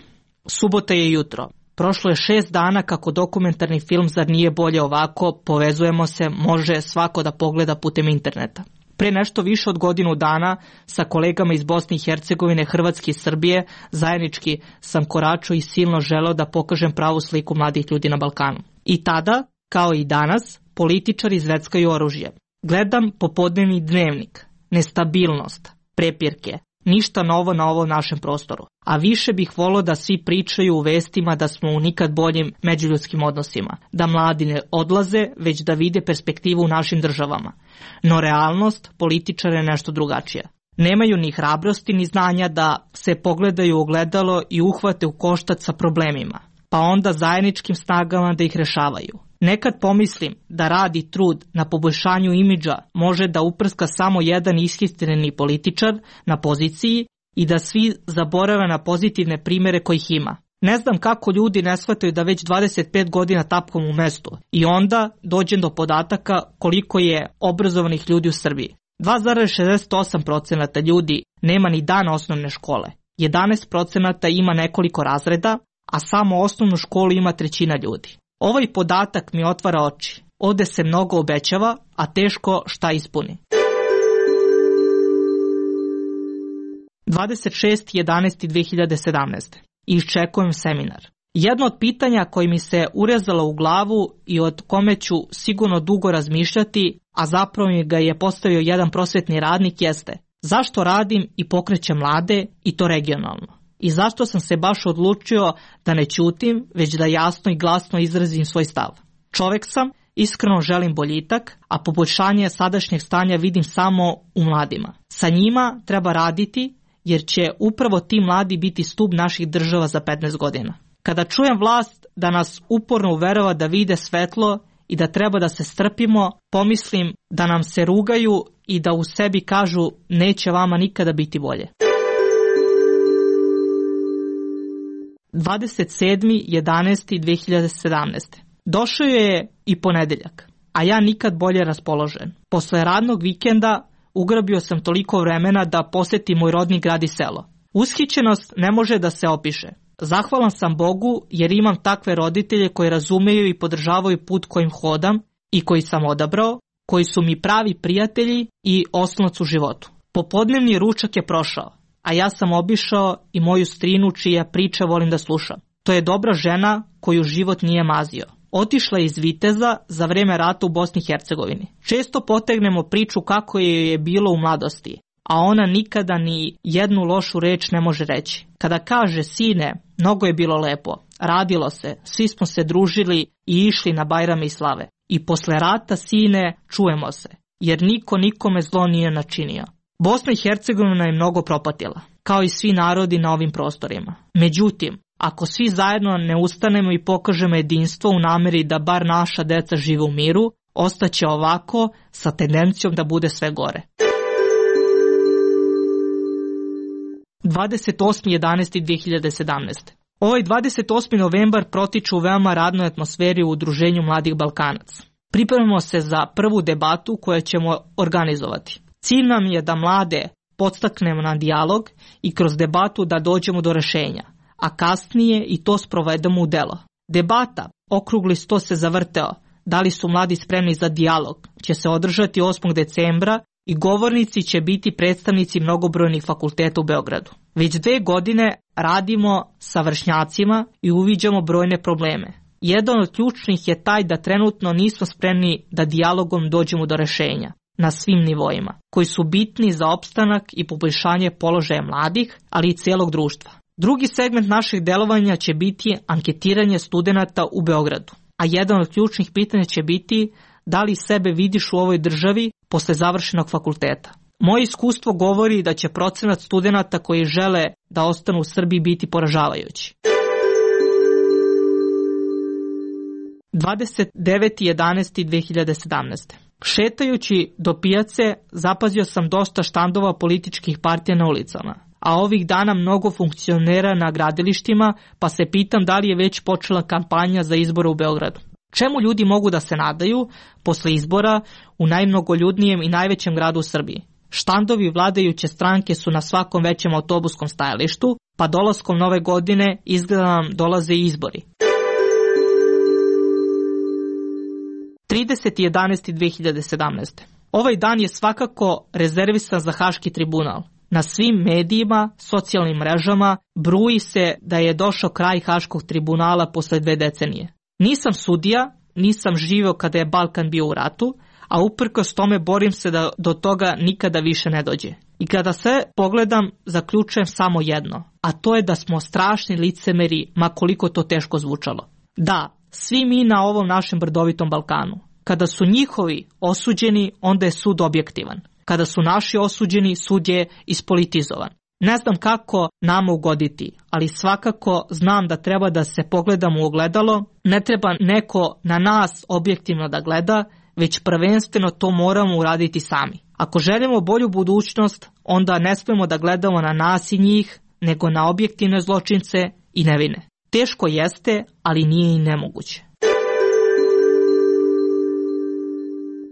Speaker 7: Subota je jutro. Prošlo je šest dana kako dokumentarni film Zar nije bolje ovako, povezujemo se, može svako da pogleda putem interneta. Pre nešto više od godinu dana sa kolegama iz Bosne i Hercegovine, Hrvatske i Srbije zajednički sam koračao i silno želeo da pokažem pravu sliku mladih ljudi na Balkanu. I tada, kao i danas, političari zveckaju oružje. Gledam popodnevni Dnevnik, nestabilnost, prepirke, ništa novo na ovom našem prostoru. A više bih volio da svi pričaju u vestima da smo u nikad boljim međuljudskim odnosima, da mladi ne odlaze, već da vide perspektivu u našim državama. No realnost političara je nešto drugačija. Nemaju ni hrabrosti ni znanja da se pogledaju u ogledalo i uhvate u koštac sa problemima, pa onda zajedničkim snagama da ih rešavaju. Nekad pomislim da rad i trud na poboljšanju imidža može da uprska samo jedan ishistreni političar na poziciji i da svi zaborave na pozitivne primere kojih ima. Ne znam kako ljudi ne shvataju da već dvadeset pet godina tapkom u mestu i onda dođem do podataka koliko je obrazovanih ljudi u Srbiji. dva zarez šezdeset osam posto ljudi nema ni dan osnovne škole, jedanaest posto ima nekoliko razreda, a samo osnovnu školu ima trećina ljudi. Ovaj podatak mi otvara oči. Ovde se mnogo obećava, a teško šta ispuni. dvadeset šestog jedanaestog dve hiljade sedamnaeste. I iščekujem seminar. Jedno od pitanja koje mi se urezalo u glavu i od kome ću sigurno dugo razmišljati, a zapravo mi ga je postavio jedan prosvetni radnik, jeste zašto radim i pokrećem mlade i to regionalno? I zašto sam se baš odlučio da ne ćutim, već da jasno i glasno izrazim svoj stav? Čovek sam, iskreno želim boljitak, a poboljšanje sadašnjeg stanja vidim samo u mladima. Sa njima treba raditi, jer će upravo ti mladi biti stup naših država za petnaest godina. Kada čujem vlast da nas uporno uverava da vide svetlo i da treba da se strpimo, pomislim da nam se rugaju i da u sebi kažu neće vama nikada biti bolje. dvadeset sedmog jedanaestog dve hiljade sedamnaeste. Došao je i ponedeljak, a ja nikad bolje raspoložen. Posle radnog vikenda ugrabio sam toliko vremena da posetim moj rodni grad i selo. Ushićenost ne može da se opiše. Zahvalan sam Bogu jer imam takve roditelje koji razumeju i podržavaju put kojim hodam i koji sam odabrao, koji su mi pravi prijatelji i oslonac u životu. Popodnevni ručak je prošao, a ja sam obišao i moju strinu čija priča volim da slušam. To je dobra žena koju život nije mazio. Otišla je iz Viteza za vreme rata u Bosni i Hercegovini. Često potegnemo priču kako je je bilo u mladosti, a ona nikada ni jednu lošu reč ne može reći. Kada kaže sine, mnogo je bilo lepo, radilo se, svi smo se družili i išli na Bajrame i slave. I posle rata sine, čujemo se, jer niko nikome zlo nije načinio. Bosna i Hercegovina je mnogo propatila, kao i svi narodi na ovim prostorima. Međutim, ako svi zajedno ne ustanemo i pokažemo jedinstvo u nameri da bar naša deca žive u miru, ostaće ovako sa tendencijom da bude sve gore. dvadeset osmog jedanaestog dve hiljade sedamnaeste. Ovaj dvadeset osmi novembar protiče u veoma radnoj atmosferi u Udruženju mladih Balkanaca. Pripremamo se za prvu debatu koju ćemo organizovati. Cilj nam je da mlade podstaknemo na dijalog i kroz debatu da dođemo do rešenja, a kasnije i to sprovedemo u delo. Debata, okrugli sto se zavrteo, da li su mladi spremni za dijalog, će se održati osmog decembra i govornici će biti predstavnici mnogobrojnih fakulteta u Beogradu. Već dve godine radimo sa vršnjacima i uviđamo brojne probleme. Jedan od ključnih je taj da trenutno nismo spremni da dijalogom dođemo do rešenja na svim nivoima, koji su bitni za opstanak i poboljšanje položaja mladih, ali i celog društva. Drugi segment naših delovanja će biti anketiranje studenata u Beogradu, a jedan od ključnih pitanja će biti da li sebe vidiš u ovoj državi posle završenog fakulteta. Moje iskustvo govori da će procenat studenata koji žele da ostanu u Srbiji biti poražavajući. dvadeset deveti jedanaesti dve hiljade sedamnaeste. Šetajući do pijace zapazio sam dosta štandova političkih partija na ulicama, a ovih dana mnogo funkcionera na gradilištima, pa se pitam da li je već počela kampanja za izbore u Beogradu. Čemu ljudi mogu da se nadaju posle izbora u najmnogoljudnijem i najvećem gradu u Srbiji? Štandovi vladajuće stranke su na svakom većem autobuskom stajalištu, pa dolaskom nove godine izgleda nam dolaze i izbori. trideseti jedanaesti dve hiljade sedamnaeste. Ovaj dan je svakako rezervisan za Haški tribunal. Na svim medijima, socijalnim mrežama bruji se da je došao kraj Haškog tribunala posle dve decenije. Nisam sudija, nisam živeo kada je Balkan bio u ratu, a uprkos tome borim se da do toga nikada više ne dođe. I kada sve pogledam, zaključujem samo jedno, a to je da smo strašni licemeri, ma koliko to teško zvučalo. Da, svi mi na ovom našem brdovitom Balkanu. Kada su njihovi osuđeni, onda je sud objektivan. Kada su naši osuđeni, sud je ispolitizovan. Ne znam kako nama ugoditi, ali svakako znam da treba da se pogledamo u ogledalo, ne treba neko na nas objektivno da gleda, već prvenstveno to moramo uraditi sami. Ako želimo bolju budućnost, onda ne smemo da gledamo na nas i njih, nego na objektivne zločince i nevine. Teško jeste, ali nije i nemoguće.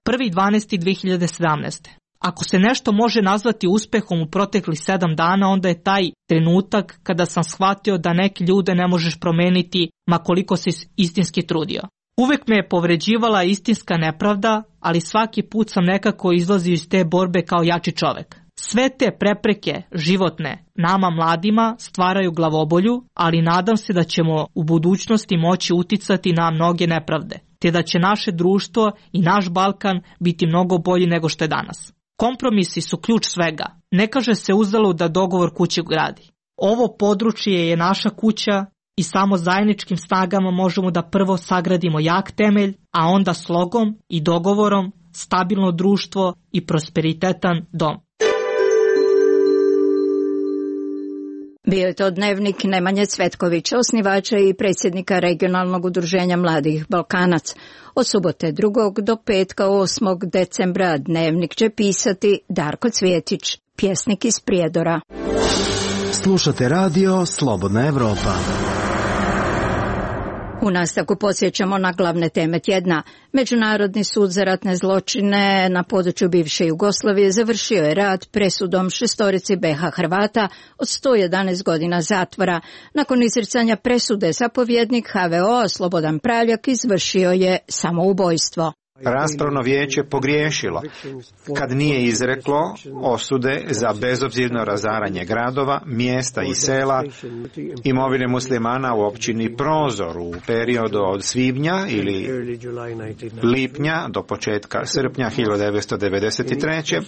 Speaker 7: prvi dvanaesti dve hiljade sedamnaeste. Ako se nešto može nazvati uspehom u proteklih sedam dana, onda je taj trenutak kada sam shvatio da neke ljude ne možeš promeniti ma koliko se istinski trudio. Uvek me je povređivala istinska nepravda, ali svaki put sam nekako izlazio iz te borbe kao jači čovek. Sve te prepreke životne nama mladima stvaraju glavobolju, ali nadam se da ćemo u budućnosti moći uticati na mnoge nepravde, te da će naše društvo i naš Balkan biti mnogo bolji nego što je danas. Kompromisi su ključ svega. Ne kaže se uzalud da dogovor kuće gradi. Ovo područje je naša kuća i samo zajedničkim snagama možemo da prvo sagradimo jak temelj, a onda slogom i dogovorom stabilno društvo i prosperitetan dom.
Speaker 2: Bio je to dnevnik Nemanje Cvetkovića, osnivača i predsjednika regionalnog udruženja Mladih Balkanac. Od subote drugog do petka osmog decembra dnevnik će pisati Darko Cvjetić, pjesnik iz Prijedora.
Speaker 14: Slušate radio Slobodna Evropa.
Speaker 2: U nastavku podsjećamo na glavne teme tjedna. Međunarodni sud za ratne zločine na području bivše Jugoslavije završio je rad presudom šestorici B H Hrvata od sto jedanaest godina zatvora. Nakon izricanja presude zapovjednik H V O Slobodan Praljak izvršio je samoubojstvo.
Speaker 3: Raspravno vijeće pogriješilo kad nije izreklo osude za bezobzirno razaranje gradova, mjesta i sela, imovine muslimana u općini Prozor u periodu od svibnja ili lipnja do početka srpnja hiljadu devetsto devedeset treće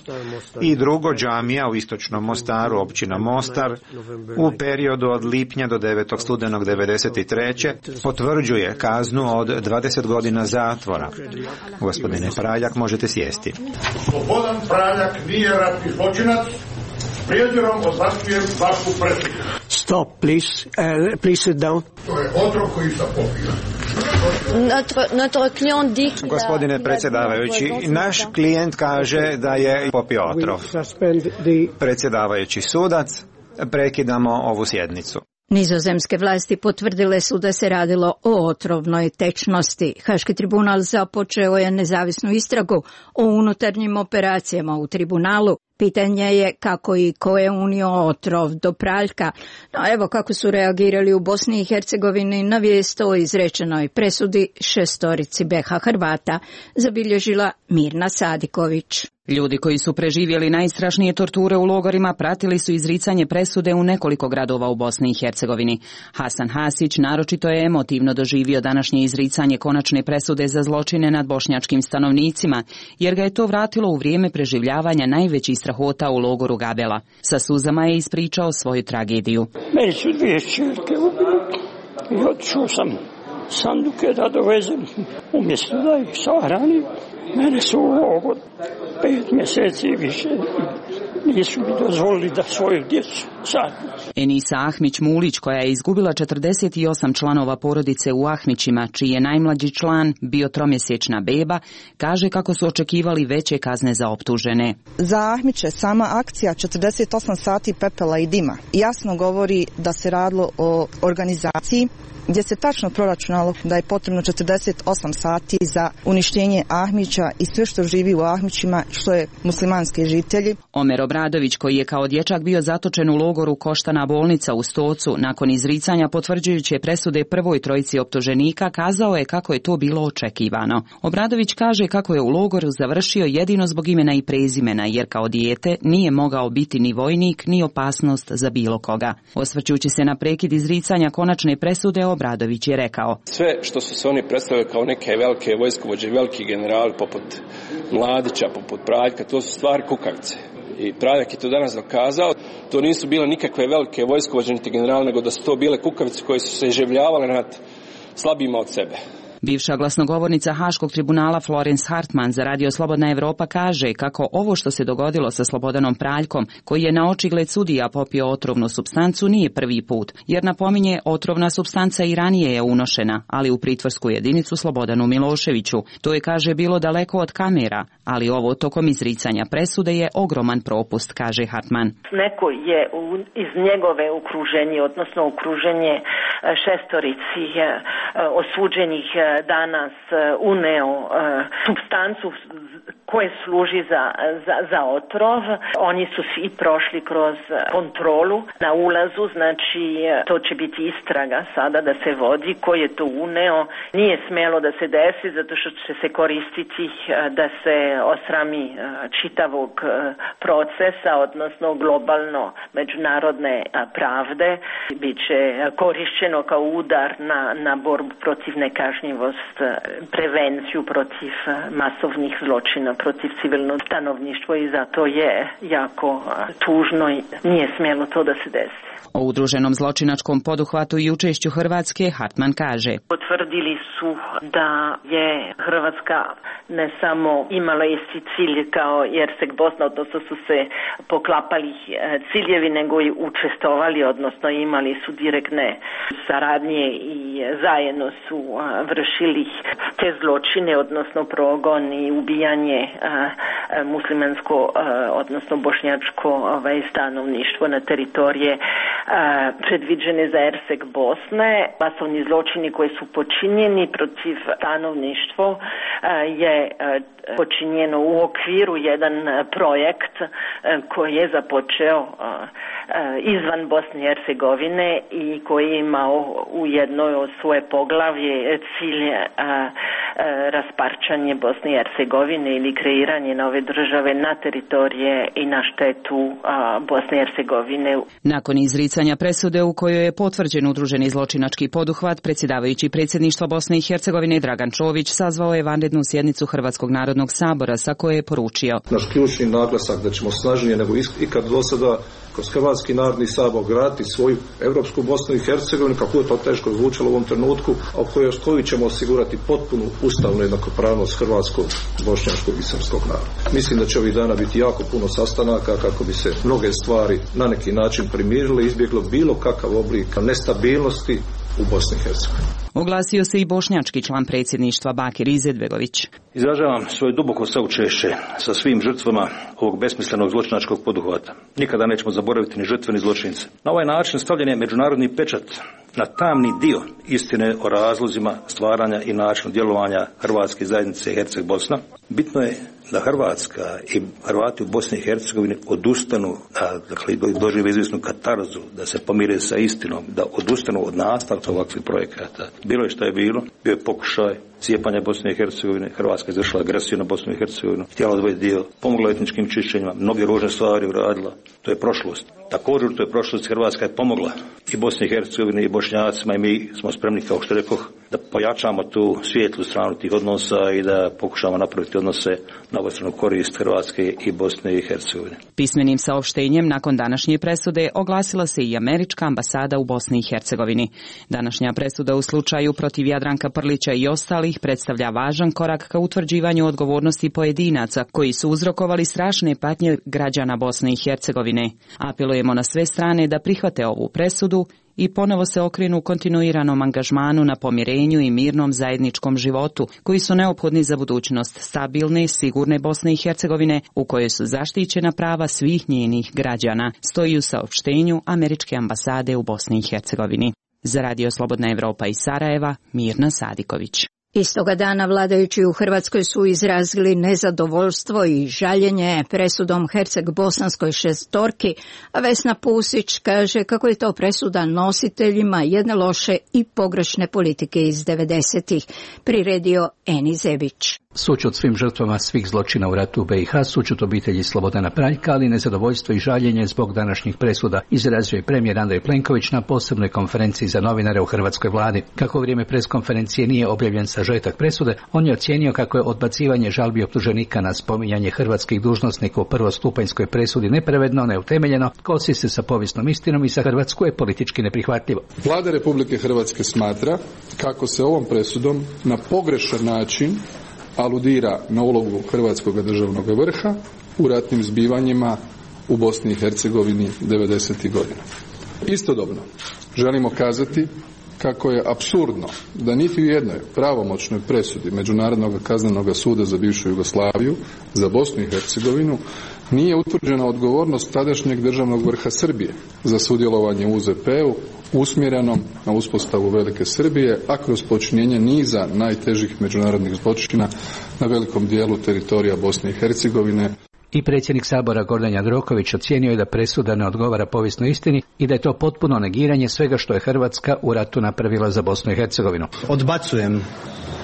Speaker 3: i drugo džamija u istočnom Mostaru, općina Mostar, u periodu od lipnja do devetog studenog devedeset treće potvrđuje kaznu od dvadeset godina zatvora. Gospodine Praljak, možete sjesti.
Speaker 8: Slobodan Praljak nije ratni zločinac. S prijezirom odbacujem vašu presudu.
Speaker 9: Stop, please. Uh, please sit down.
Speaker 8: To je otrov koji sam popio.
Speaker 3: Gospodine predsjedavajući, naš klijent kaže da je popio otrov. Predsjedavajući sudac, prekidamo ovu sjednicu.
Speaker 2: Nizozemske vlasti potvrdile su da se radilo o otrovnoj tečnosti. Haški tribunal započeo je nezavisnu istragu o unutarnjim operacijama u tribunalu. Pitanje je kako i ko je unio otrov do Praljka. No evo kako su reagirali u Bosni i Hercegovini na vijest o izrečenoj presudi šestorici B H Hrvata, zabilježila Mirna Sadiković.
Speaker 10: Ljudi koji su preživjeli najstrašnije torture u logorima pratili su izricanje presude u nekoliko gradova u Bosni i Hercegovini. Hasan Hasić naročito je emotivno doživio današnje izricanje konačne presude za zločine nad bošnjačkim stanovnicima, jer ga je to vratilo u vrijeme preživljavanja najvećih strahota u logoru Gabela. Sa suzama je ispričao svoju tragediju.
Speaker 11: Meni su dvije čerke ubili i otišao sam sanduke da dovezem umjesto da ih sahranim. Mene su u logor pet mjeseci više nisu mi dozvolili da svoju djecu sahranim.
Speaker 10: Enisa Ahmić-Mulić, koja je izgubila četrdeset osam članova porodice u Ahmićima, čiji je najmlađi član bio tromjesečna beba, kaže kako su očekivali veće kazne za optužene.
Speaker 12: Za Ahmiće sama akcija četrdeset osam sati pepela i dima jasno govori da se radilo o organizaciji gdje se tačno proračunalo da je potrebno četrdeset osam sati za uništenje Ahmića i sve što živi u Ahmićima, što je muslimanski žitelji.
Speaker 10: Omer Obradović, koji je kao dječak bio zatočen u logoru Koštana bolnica u Stocu, nakon izricanja potvrđujuće presude prvoj trojici optuženika, kazao je kako je to bilo očekivano. Obradović kaže kako je u logoru završio jedino zbog imena i prezimena, jer kao dijete nije mogao biti ni vojnik, ni opasnost za bilo koga. Osvrćući se na prekid izricanja konačne presude, Obradović je rekao:
Speaker 13: sve što su se oni predstavili kao neke velike vojskovođe, veliki generali poput Mladića, poput Praljka, to su stvari kukavice. I Praljak je to danas dokazao. To nisu bile nikakve velike vojskovođe niti generali, nego da su to bile kukavice koje su se iživljavale nad slabima od sebe.
Speaker 10: Bivša glasnogovornica Haškog tribunala Florence Hartman za Radio Slobodna Evropa kaže kako ovo što se dogodilo sa Slobodanom Praljkom, koji je na očigled sudija popio otrovnu supstancu, nije prvi put, jer napominje otrovna supstanca i ranije je unošena, ali u pritvorsku jedinicu Slobodanu Miloševiću. To je, kaže, bilo daleko od kamera, ali ovo tokom izricanja presude je ogroman propust, kaže Hartman.
Speaker 16: Neko je iz njegove okruženje, odnosno okruženje šestorici osuđenih danas uneo supstancu koje služi za, za, za otrov. Oni su svi prošli kroz kontrolu na ulazu, znači to će biti istraga sada da se vodi ko je to uneo. Nije smjelo da se desi zato što će se koristiti da se osrami čitavog procesa, odnosno globalno međunarodne pravde. Biće korišćeno kao udar na, na borbu protiv nekažnjivost, prevenciju protiv masovnih zločina protiv civilnog stanovništva i zato je jako tužno i nije smjelo to da se desi.
Speaker 10: O udruženom zločinačkom poduhvatu i učešću Hrvatske Hartman kaže:
Speaker 16: Potvrdili su da je Hrvatska ne samo imala isti cilj kao Jersek Bosna, odnosno su se poklapali ciljevi, nego i učestvovali, odnosno imali su direktne saradnje i zajedno su vršili te zločine, odnosno progon i ubijanje muslimansko, odnosno bošnjačko stanovništvo na teritorije predviđene za Jersek Bosne. Masovni zločini koji su počinjeni protiv stanovništva je počinjeno u okviru jedan projekt koji je započeo izvan Bosne i Hercegovine i koji je imao u jednoj od svoje poglavlje cilj rasparčanje Bosne i Hercegovine ili kreiranje nove države na teritorije i na štetu Bosne i Hercegovine.
Speaker 10: Nakon izricanja presude u kojoj je potvrđen udruženi zločinački poduhvat, predsjedavajući predsjedništva Bosne i Hercegovine Dragan Čović sazvao je vanrednu sjednicu Hrvatskog narodnog sabora sa koje je poručio:
Speaker 4: Naš ključni naglasak da ćemo snažnije nego ikad do sada kroz Hrvatski narodni sabor graditi svoju europsku Bosnu i Hercegovinu, kako je to teško zvučalo u ovom trenutku, a u kojoj koju ćemo osigurati potpunu ustavnu jednakopravnost hrvatskog, bošnjačkog i srpskog naroda. Mislim da će ovih dana biti jako puno sastanaka kako bi se mnoge stvari na neki način primirile i izbjeglo bilo kakav oblik nestabilnosti u Bosni i Hercegovini.
Speaker 10: Oglasio se i bošnjački član predsjedništva Bakir Izetbegović.
Speaker 26: Izražavam svoje duboko saučešće sa svim žrtvama ovog besmislenog zločinačkog poduhvata. Nikada nećemo zaboraviti ni žrtve ni zločince. Na ovaj način stavljen je međunarodni pečat na tamni dio istine o razlozima stvaranja i načinu djelovanja Hrvatske zajednice Herceg Bosna. Bitno je da Hrvatska i Hrvati u Bosni i Hercegovini odustanu, da, dakle, dožive izvjesnu katarzu, da se pomire sa istinom, da odustanu od nastavka ovakvih projekata. Bilo je što je bilo, bio je pokušaj cijepanja Bosne i Hercegovine, Hrvatska izvršila agresiju na Bosnu i Hercegovinu, htjela odvojiti dio, pomogla etničkim čišćenjima, mnoge ružne stvari uradila, to je prošlost. Također to je prošlost, Hrvatska je pomogla i Bosni i Hercegovini i Bošnjacima i mi smo spremni, kao što rekoh, da pojačamo tu svijetlu stranu tih odnosa i da pokušamo napraviti odnose na obostranu korist Hrvatske i Bosne i Hercegovine.
Speaker 10: Pismenim saopštenjem nakon današnje presude oglasila se i američka ambasada u Bosni i Hercegovini. Današnja presuda u slučaju protiv Jadranka Prlića i ostalih predstavlja važan korak ka utvrđivanju odgovornosti pojedinaca koji su uzrokovali strašne patnje građana Bosne i Hercegovine. Apelujemo na sve strane da prihvate ovu presudu i ponovo se okrenu kontinuiranom angažmanu na pomirenju i mirnom zajedničkom životu, koji su neophodni za budućnost stabilne, sigurne Bosne i Hercegovine, u kojoj su zaštićena prava svih njenih građana, stoji u saopštenju američke ambasade u Bosni i Hercegovini. Za Radio Slobodna Evropa iz Sarajeva, Mirna Sadiković.
Speaker 2: Istoga dana vladajući u Hrvatskoj su izrazili nezadovoljstvo i žaljenje presudom Herceg-bosanskoj šestorki, a Vesna Pusić kaže kako je to presuda nositeljima jedne loše i pogrešne politike iz devedesetih, priredio Eni Zebić.
Speaker 22: Sućut svim žrtvama svih zločina u ratu u B i H, sućut obitelji Slobodana Praljka, ali nezadovoljstvo i žaljenje zbog današnjih presuda, izrazio je premijer Andrej Plenković na posebnoj konferenciji za novinare u hrvatskoj vladi. Kako u vrijeme preskonferencije nije objavljen sažetak presude, on je ocijenio kako je odbacivanje žalbi optuženika na spominjanje hrvatskih dužnosnika u prvostupanjskoj presudi nepravedno, neutemeljeno, kosi se sa povijesnom istinom i sa Hrvatsku je politički neprihvatljivo.
Speaker 25: Vlada Republike Hrvatske smatra kako se ovom presudom na pogrešan način aludira na ulogu hrvatskog državnog vrha u ratnim zbivanjima u Bosni i Hercegovini devedesetih godina. Istodobno želimo kazati kako je apsurdno da niti u jednoj pravomoćnoj presudi Međunarodnog kaznenog suda za bivšu Jugoslaviju za Bosnu i Hercegovinu nije utvrđena odgovornost tadašnjeg državnog vrha Srbije za sudjelovanje u U Z P-u usmjerenom na uspostavu velike Srbije, a kroz počinjenje niza najtežih međunarodnih zločina na velikom dijelu teritorija Bosne i Hercegovine.
Speaker 22: I predsjednik Sabora Gordan Jandroković ocijenio je da presuda ne odgovara povijesnoj istini i da je to potpuno negiranje svega što je Hrvatska u ratu napravila za Bosnu i Hercegovinu.
Speaker 17: Odbacujem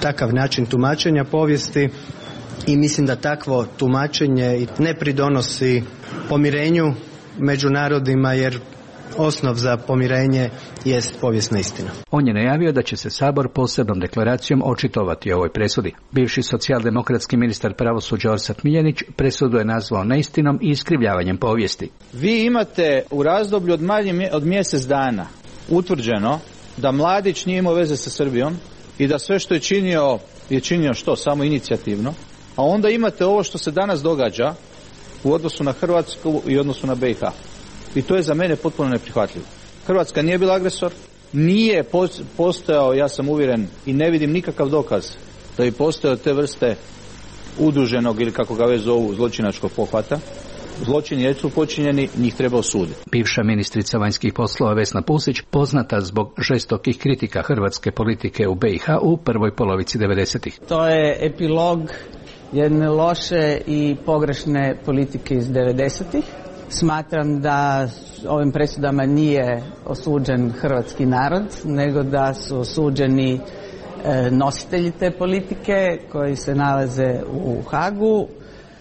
Speaker 17: takav način tumačenja povijesti i mislim da takvo tumačenje ne pridonosi pomirenju među narodima, jer osnov za pomirenje jest povijesna istina.
Speaker 22: On je najavio da će se Sabor posebnom deklaracijom očitovati o ovoj presudi. Bivši socijaldemokratski ministar pravosuđa Orsat Miljenić presudu je nazvao neistinom i iskrivljavanjem povijesti.
Speaker 18: Vi imate u razdoblju od manje od mjesec dana utvrđeno da Mladić nije imao veze sa Srbijom i da sve što je činio je činio što? Samo inicijativno. A onda imate ovo što se danas događa u odnosu na Hrvatsku i odnosu na B i H. I to je za mene potpuno neprihvatljivo. Hrvatska nije bila agresor, nije postojao, ja sam uvjeren i ne vidim nikakav dokaz da bi postojao te vrste udruženog ili kako ga već zovu zločinačkog pohvata. Zločini jesu počinjeni, njih treba osuditi.
Speaker 22: Bivša ministrica vanjskih poslova Vesna Pusić, poznata zbog žestokih kritika hrvatske politike u B i H u prvoj polovici devedesetih.
Speaker 19: To je epilog jedne loše i pogrešne politike iz devedesetih. Smatram da ovim presudama nije osuđen hrvatski narod, nego da su osuđeni nositelji te politike koji se nalaze u Hagu.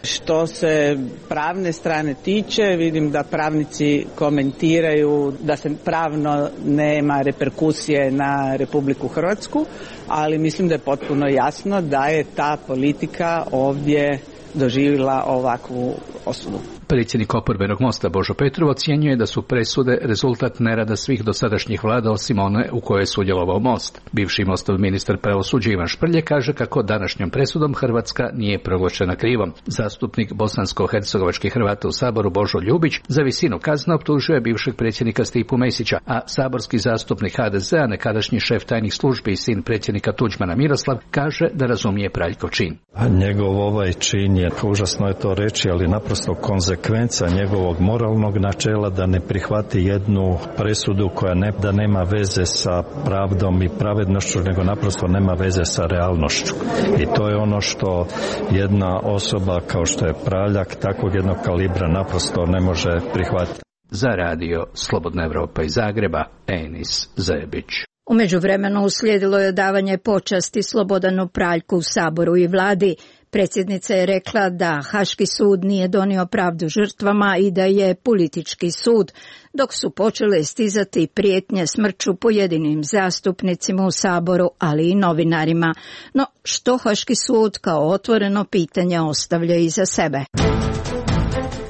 Speaker 19: Što se pravne strane tiče, vidim da pravnici komentiraju da se pravno nema reperkusije na Republiku Hrvatsku, ali mislim da je potpuno jasno da je ta politika ovdje doživjela ovakvu osudu.
Speaker 22: Predsjednik oporbenog Mosta Božo Petrov ocjenjuje da su presude rezultat nerada svih dosadašnjih vlada osim one u kojoj je sudjelovao Most. Bivši Mostov ministar pravosuđa Ivan Šprlje kaže kako današnjom presudom Hrvatska nije proglašena krivom. Zastupnik bosansko-hercegovačkih Hrvata u Saboru Božo Ljubić za visinu kazne optužuje bivšeg predsjednika Stipu Mesića, a saborski zastupnik H D Z-a, nekadašnji šef tajnih službi i sin predsjednika Tuđmana Miroslav, kaže da razumije Praljkov čin.
Speaker 20: A njegov ovaj čin je, užasno je to reći, ali naprosto konzekvenca njegovog moralnog načela da ne prihvati jednu presudu koja ne, da nema veze sa pravdom i pravednošću, nego naprosto nema veze sa realnošću. I to je ono što jedna osoba kao što je Praljak takvog jednog kalibra naprosto ne može prihvatiti.
Speaker 22: Za radio Slobodna Evropa iz Zagreba, Enis Zebić.
Speaker 2: U međuvremenu uslijedilo je davanje počasti Slobodanu Praljku u Saboru i vladi. Predsjednica je rekla da Haški sud nije donio pravdu žrtvama i da je politički sud, dok su počele stizati prijetnje smrću pojedinim zastupnicima u Saboru, ali i novinarima. No, što Haški sud kao otvoreno pitanje ostavlja iza sebe?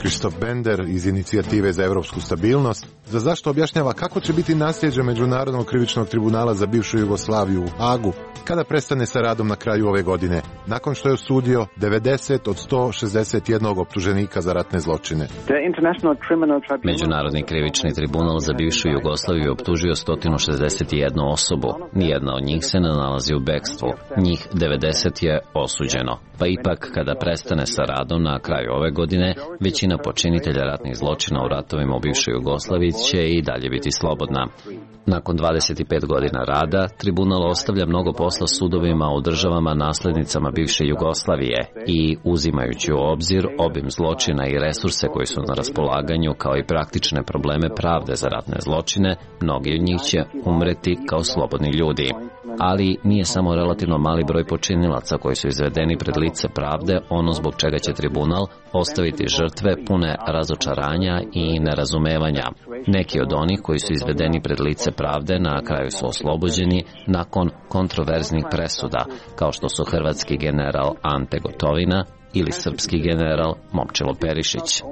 Speaker 21: Krištof Bender iz Inicijative za europsku stabilnost za zašto objašnjava kako će biti nasljeđe Međunarodnog krivičnog tribunala za bivšu Jugoslaviju u Hagu kada prestane sa radom na kraju ove godine, nakon što je osudio devedeset od sto šezdeset jedan optuženika za ratne zločine.
Speaker 24: Međunarodni krivični tribunal za bivšu Jugoslaviju je optužio sto šezdeset jednu osobu. Nijedna od njih se ne nalazi u bekstvu. Njih devedeset je osuđeno. Pa ipak, kada prestane sa radom na kraju ove godine, većina počinitelja ratnih zločina u ratovima u bivšoj Jugoslaviji će i dalje biti slobodna. Nakon dvadeset pet godina rada, tribunal ostavlja mnogo posla sudovima u državama naslednicama bivše Jugoslavije i, uzimajući u obzir obim zločina i resurse koji su na raspolaganju, kao i praktične probleme pravde za ratne zločine, mnogi od njih će umreti kao slobodni ljudi. Ali nije samo relativno mali broj počinilaca koji su izvedeni pred lice pravde ono zbog čega će tribunal ostaviti žrtve pune razočaranja i nerazumevanja. Neki od onih koji su izvedeni pred lice pravde na kraju su oslobođeni nakon kontroverznih presuda, kao što su hrvatski general Ante Gotovina ili srpski general Momčilo Perišić.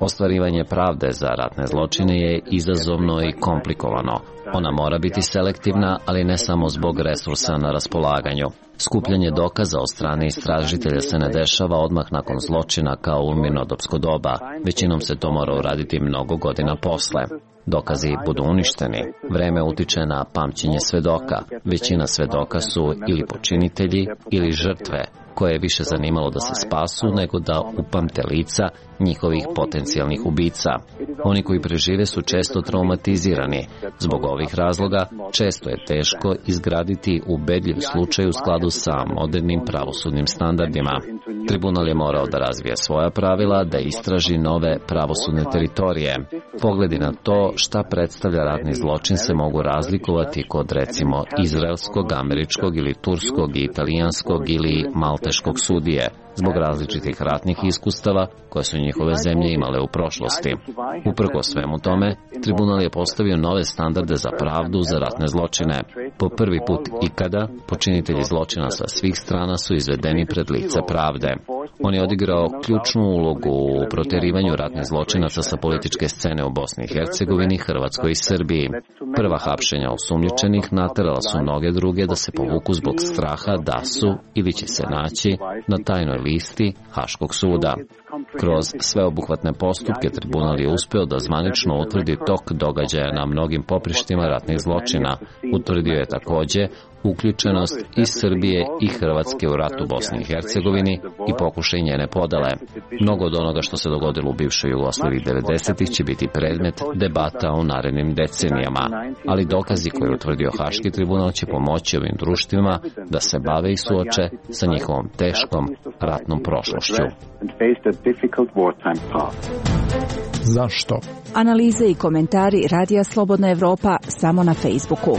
Speaker 24: Ostvarivanje pravde za ratne zločine je izazovno i komplikovano. Ona mora biti selektivna, ali ne samo zbog resursa na raspolaganju. Skupljanje dokaza od strane istražitelja se ne dešava odmah nakon zločina kao u mirnodopsko doba. Većinom se to mora uraditi mnogo godina posle. Dokazi budu uništeni. Vreme utiče na pamćenje svedoka. Većina svedoka su ili počinitelji ili žrtve, koje je više zanimalo da se spasu nego da upamte lica njihovih potencijalnih ubica. Oni koji prežive su često traumatizirani. Zbog ove ovih razloga često je teško izgraditi ubedljiv slučaj u skladu sa modernim pravosudnim standardima. Tribunal je morao da razvije svoja pravila, da istraži nove pravosudne teritorije. Pogledi na to šta predstavlja ratni zločin se mogu razlikovati kod recimo izraelskog, američkog ili turskog, italijanskog ili malteškog sudije, zbog različitih ratnih iskustava koje su njihove zemlje imale u prošlosti. Uprkos svemu tome, tribunal je postavio nove standarde za pravdu za ratne zločine. Po prvi put ikada, počinitelji zločina sa svih strana su izvedeni pred lice pravde. On je odigrao ključnu ulogu u proterivanju ratnih zločinaca sa političke scene u Bosni i Hercegovini, Hrvatskoj i Srbiji. Prva hapšenja osumnjičenih naterala su mnoge druge da se povuku zbog straha da su ili će se naći na tajnoj listi Haškog suda. Kroz sveobuhvatne postupke tribunal je uspeo da zvanično utvrdi tok događaja na mnogim poprištima ratnih zločina. Utvrdio je takođe uključenost i Srbije i Hrvatske u ratu Bosni i Hercegovini i pokušaj njene podele. Mnogo od onoga što se dogodilo u bivšoj Jugoslaviji devedesetih će biti predmet debata u narednim decenijama, ali dokazi koje je utvrdio Haški tribunal će pomoći ovim društvima da se bave i suoče sa njihovom teškom ratnom prošlošću.
Speaker 1: Zašto?
Speaker 5: Analize i komentari Radija Slobodna Evropa samo na Facebooku.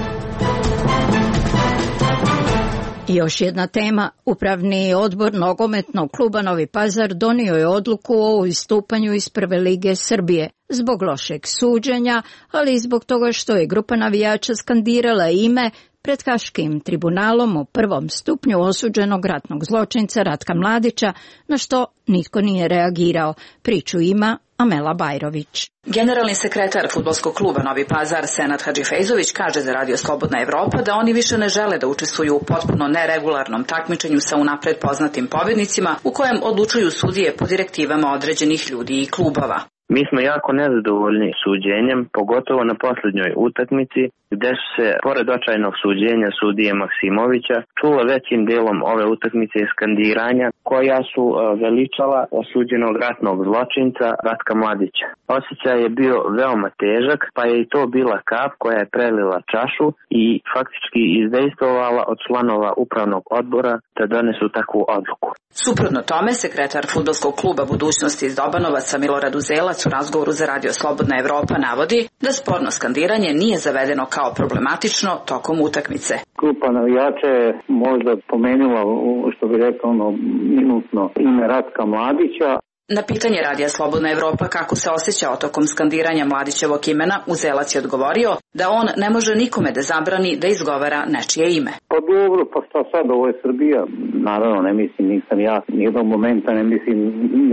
Speaker 2: I još jedna tema. Upravni odbor nogometnog kluba Novi Pazar donio je odluku o istupanju iz Prve lige Srbije zbog lošeg suđenja, ali i zbog toga što je grupa navijača skandirala ime pred Haškim tribunalom u prvom stupnju osuđenog ratnog zločinca Ratka Mladića, na što nitko nije reagirao. Priču ima Amela Bajrović.
Speaker 6: Generalni sekretar fudbalskog kluba Novi Pazar Senad Hadžifejzović kaže za Radio Slobodna Evropa da oni više ne žele da učestvuju u potpuno neregularnom takmičenju sa unapred poznatim pobednicima u kojem odlučuju sudije po direktivama određenih ljudi i klubova.
Speaker 7: Mi smo jako nezadovoljni suđenjem, pogotovo na posljednjoj utakmici, gde su se, pored očajnog suđenja sudije Maksimovića, čula većim delom ove utakmice skandiranja koja su veličala osuđenog ratnog zločinca Ratka Mladića. Osjećaj je bio veoma težak, pa je i to bila kap koja je prelila čašu i faktički izdejstvovala od članova upravnog odbora da donesu takvu odluku.
Speaker 6: Suprotno tome, sekretar fudbalskog kluba Budućnosti iz Dobanovaca Milorad Uzelac u razgovoru za Radio Slobodna Evropa navodi da sporno skandiranje nije zavedeno kao problematično tokom utakmice.
Speaker 15: Grupa navijača je možda pomenula, što bi rekao, ono, minutno ime Ratka Mladića.
Speaker 6: Na pitanje Radija Slobodna Evropa kako se osjećao tokom skandiranja Mladićevog imena, Uzelac je odgovorio da on ne može nikome da zabrani da izgovara nečije ime.
Speaker 15: Pa dobro, pa šta sad, ovo je Srbija. Naravno, ne mislim, nisam ja, nijednog momenta ne mislim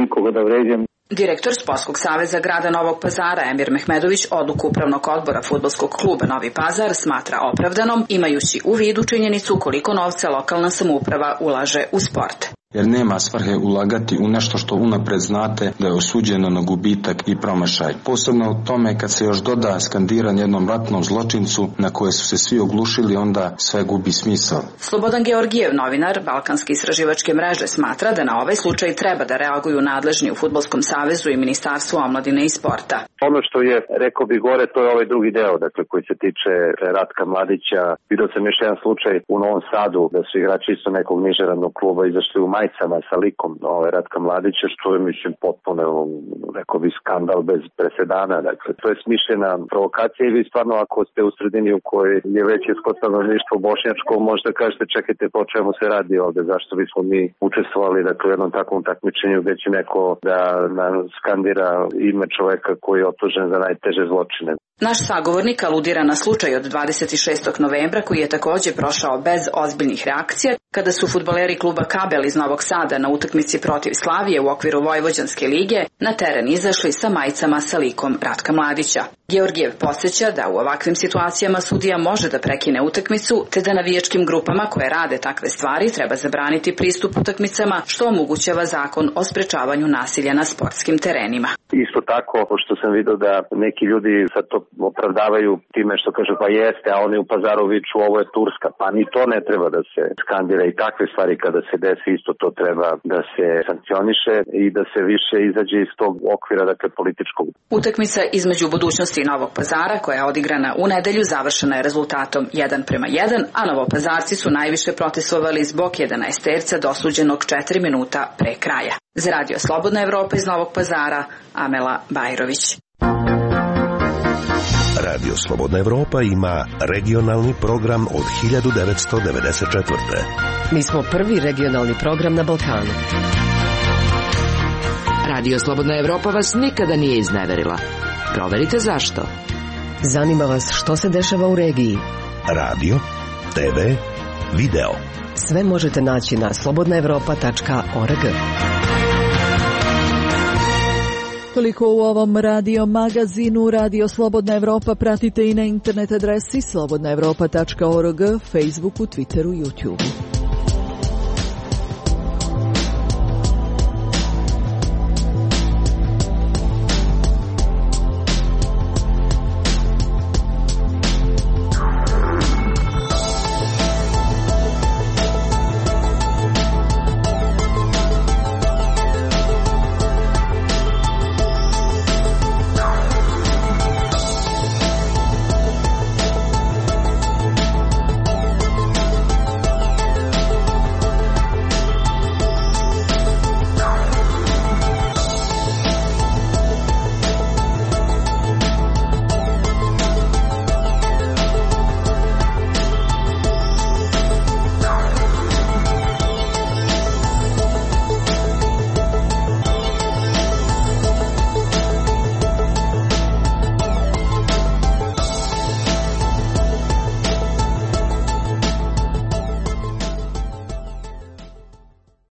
Speaker 15: nikoga da vređam.
Speaker 6: Direktor Sportskog saveza grada Novog Pazara Emir Mehmedović odluku upravnog odbora fudbalskog kluba Novi Pazar smatra opravdanom, imajući u vidu činjenicu koliko novca lokalna samouprava ulaže u sport.
Speaker 23: Jer nema svrhe ulagati u nešto što unapred znate da je osuđeno na gubitak i promašaj. Posebno u tome kad se još doda skandiranje jednom ratnom zločincu na koje su se svi oglušili, onda sve gubi smisao.
Speaker 6: Slobodan Georgijev, novinar Balkanske istraživačke mreže, smatra da na ovaj slučaj treba da reaguju nadležni u Fudbalskom savezu i Ministarstvu omladine i sporta.
Speaker 27: Ono što je, rekao bi gore, to je ovaj drugi deo, dakle, koji se tiče Ratka Mladića. Vidio sam još jedan slučaj u Novom Sadu da su igrači isto nekog nižeradnog kluba izašli u majicama sa likom ovaj, Ratka Mladića, što je, mislim, potpuno, rekao bi, skandal bez presedana. Dakle, to je smišljena provokacija i vi stvarno, ako ste u sredini u kojoj je većinsko stanovništvo bošnjačko, možda kažete, čekajte, po čemu se radi ovde, zašto bismo mi učestvovali, dakle, u jednom takvom takmičenju gde će neko da nam skandira ime čoveka koji je optužen za najteže zločine.
Speaker 6: Naš sagovornik aludira na slučaj od dvadeset šestog novembra koji je takođe prošao bez ozbiljnih reakcija kada su fudbaleri kluba Kabel iz Novog Sada na utakmici protiv Slavije u okviru Vojvođanske lige na teren izašli sa majicama sa likom Ratka Mladića. Georgijev podsjeća da u ovakvim situacijama sudija može da prekine utakmicu, te da navijačkim grupama koje rade takve stvari treba zabraniti pristup utakmicama, što omogućava zakon o sprečavanju nasilja na sportskim terenima.
Speaker 27: Isto tako, pošto sam vidio da neki ljudi sad to opravdavaju time što kaže pa jeste, a oni u Pazaru viču ovo je Turska, pa ni to ne treba da se skandira i takve stvari kada se desi isto to treba da se sankcioniše i da se više izađe iz tog okvira, dakle, političkog.
Speaker 6: Utakmica između Budućnosti utakmici Novog Pazara koja je odigrana u nedelju završena je rezultatom jedan prema jedan, a Novopazarci su najviše protestovali zbog jedanaesterca dosuđenog četiri minuta pre kraja. Za Radio Slobodna Evropa iz Novog Pazara, Amela Bajrović.
Speaker 3: Radio Slobodna Evropa ima regionalni program od hiljadu devetsto devedeset četvrte.
Speaker 8: Mi smo prvi regionalni program na Balkanu. Radio Slobodna Evropa vas nikada nije izneverila. Proverite zašto. Zanima vas što se dešava u regiji.
Speaker 3: Radio, te ve, video.
Speaker 8: Sve možete naći na slobodna evropa tačka org.
Speaker 9: Toliko u ovom radio magazinu. Radio Slobodna Evropa pratite i na internet adresi slobodna evropa tačka org, Facebooku, Twitteru, YouTubeu.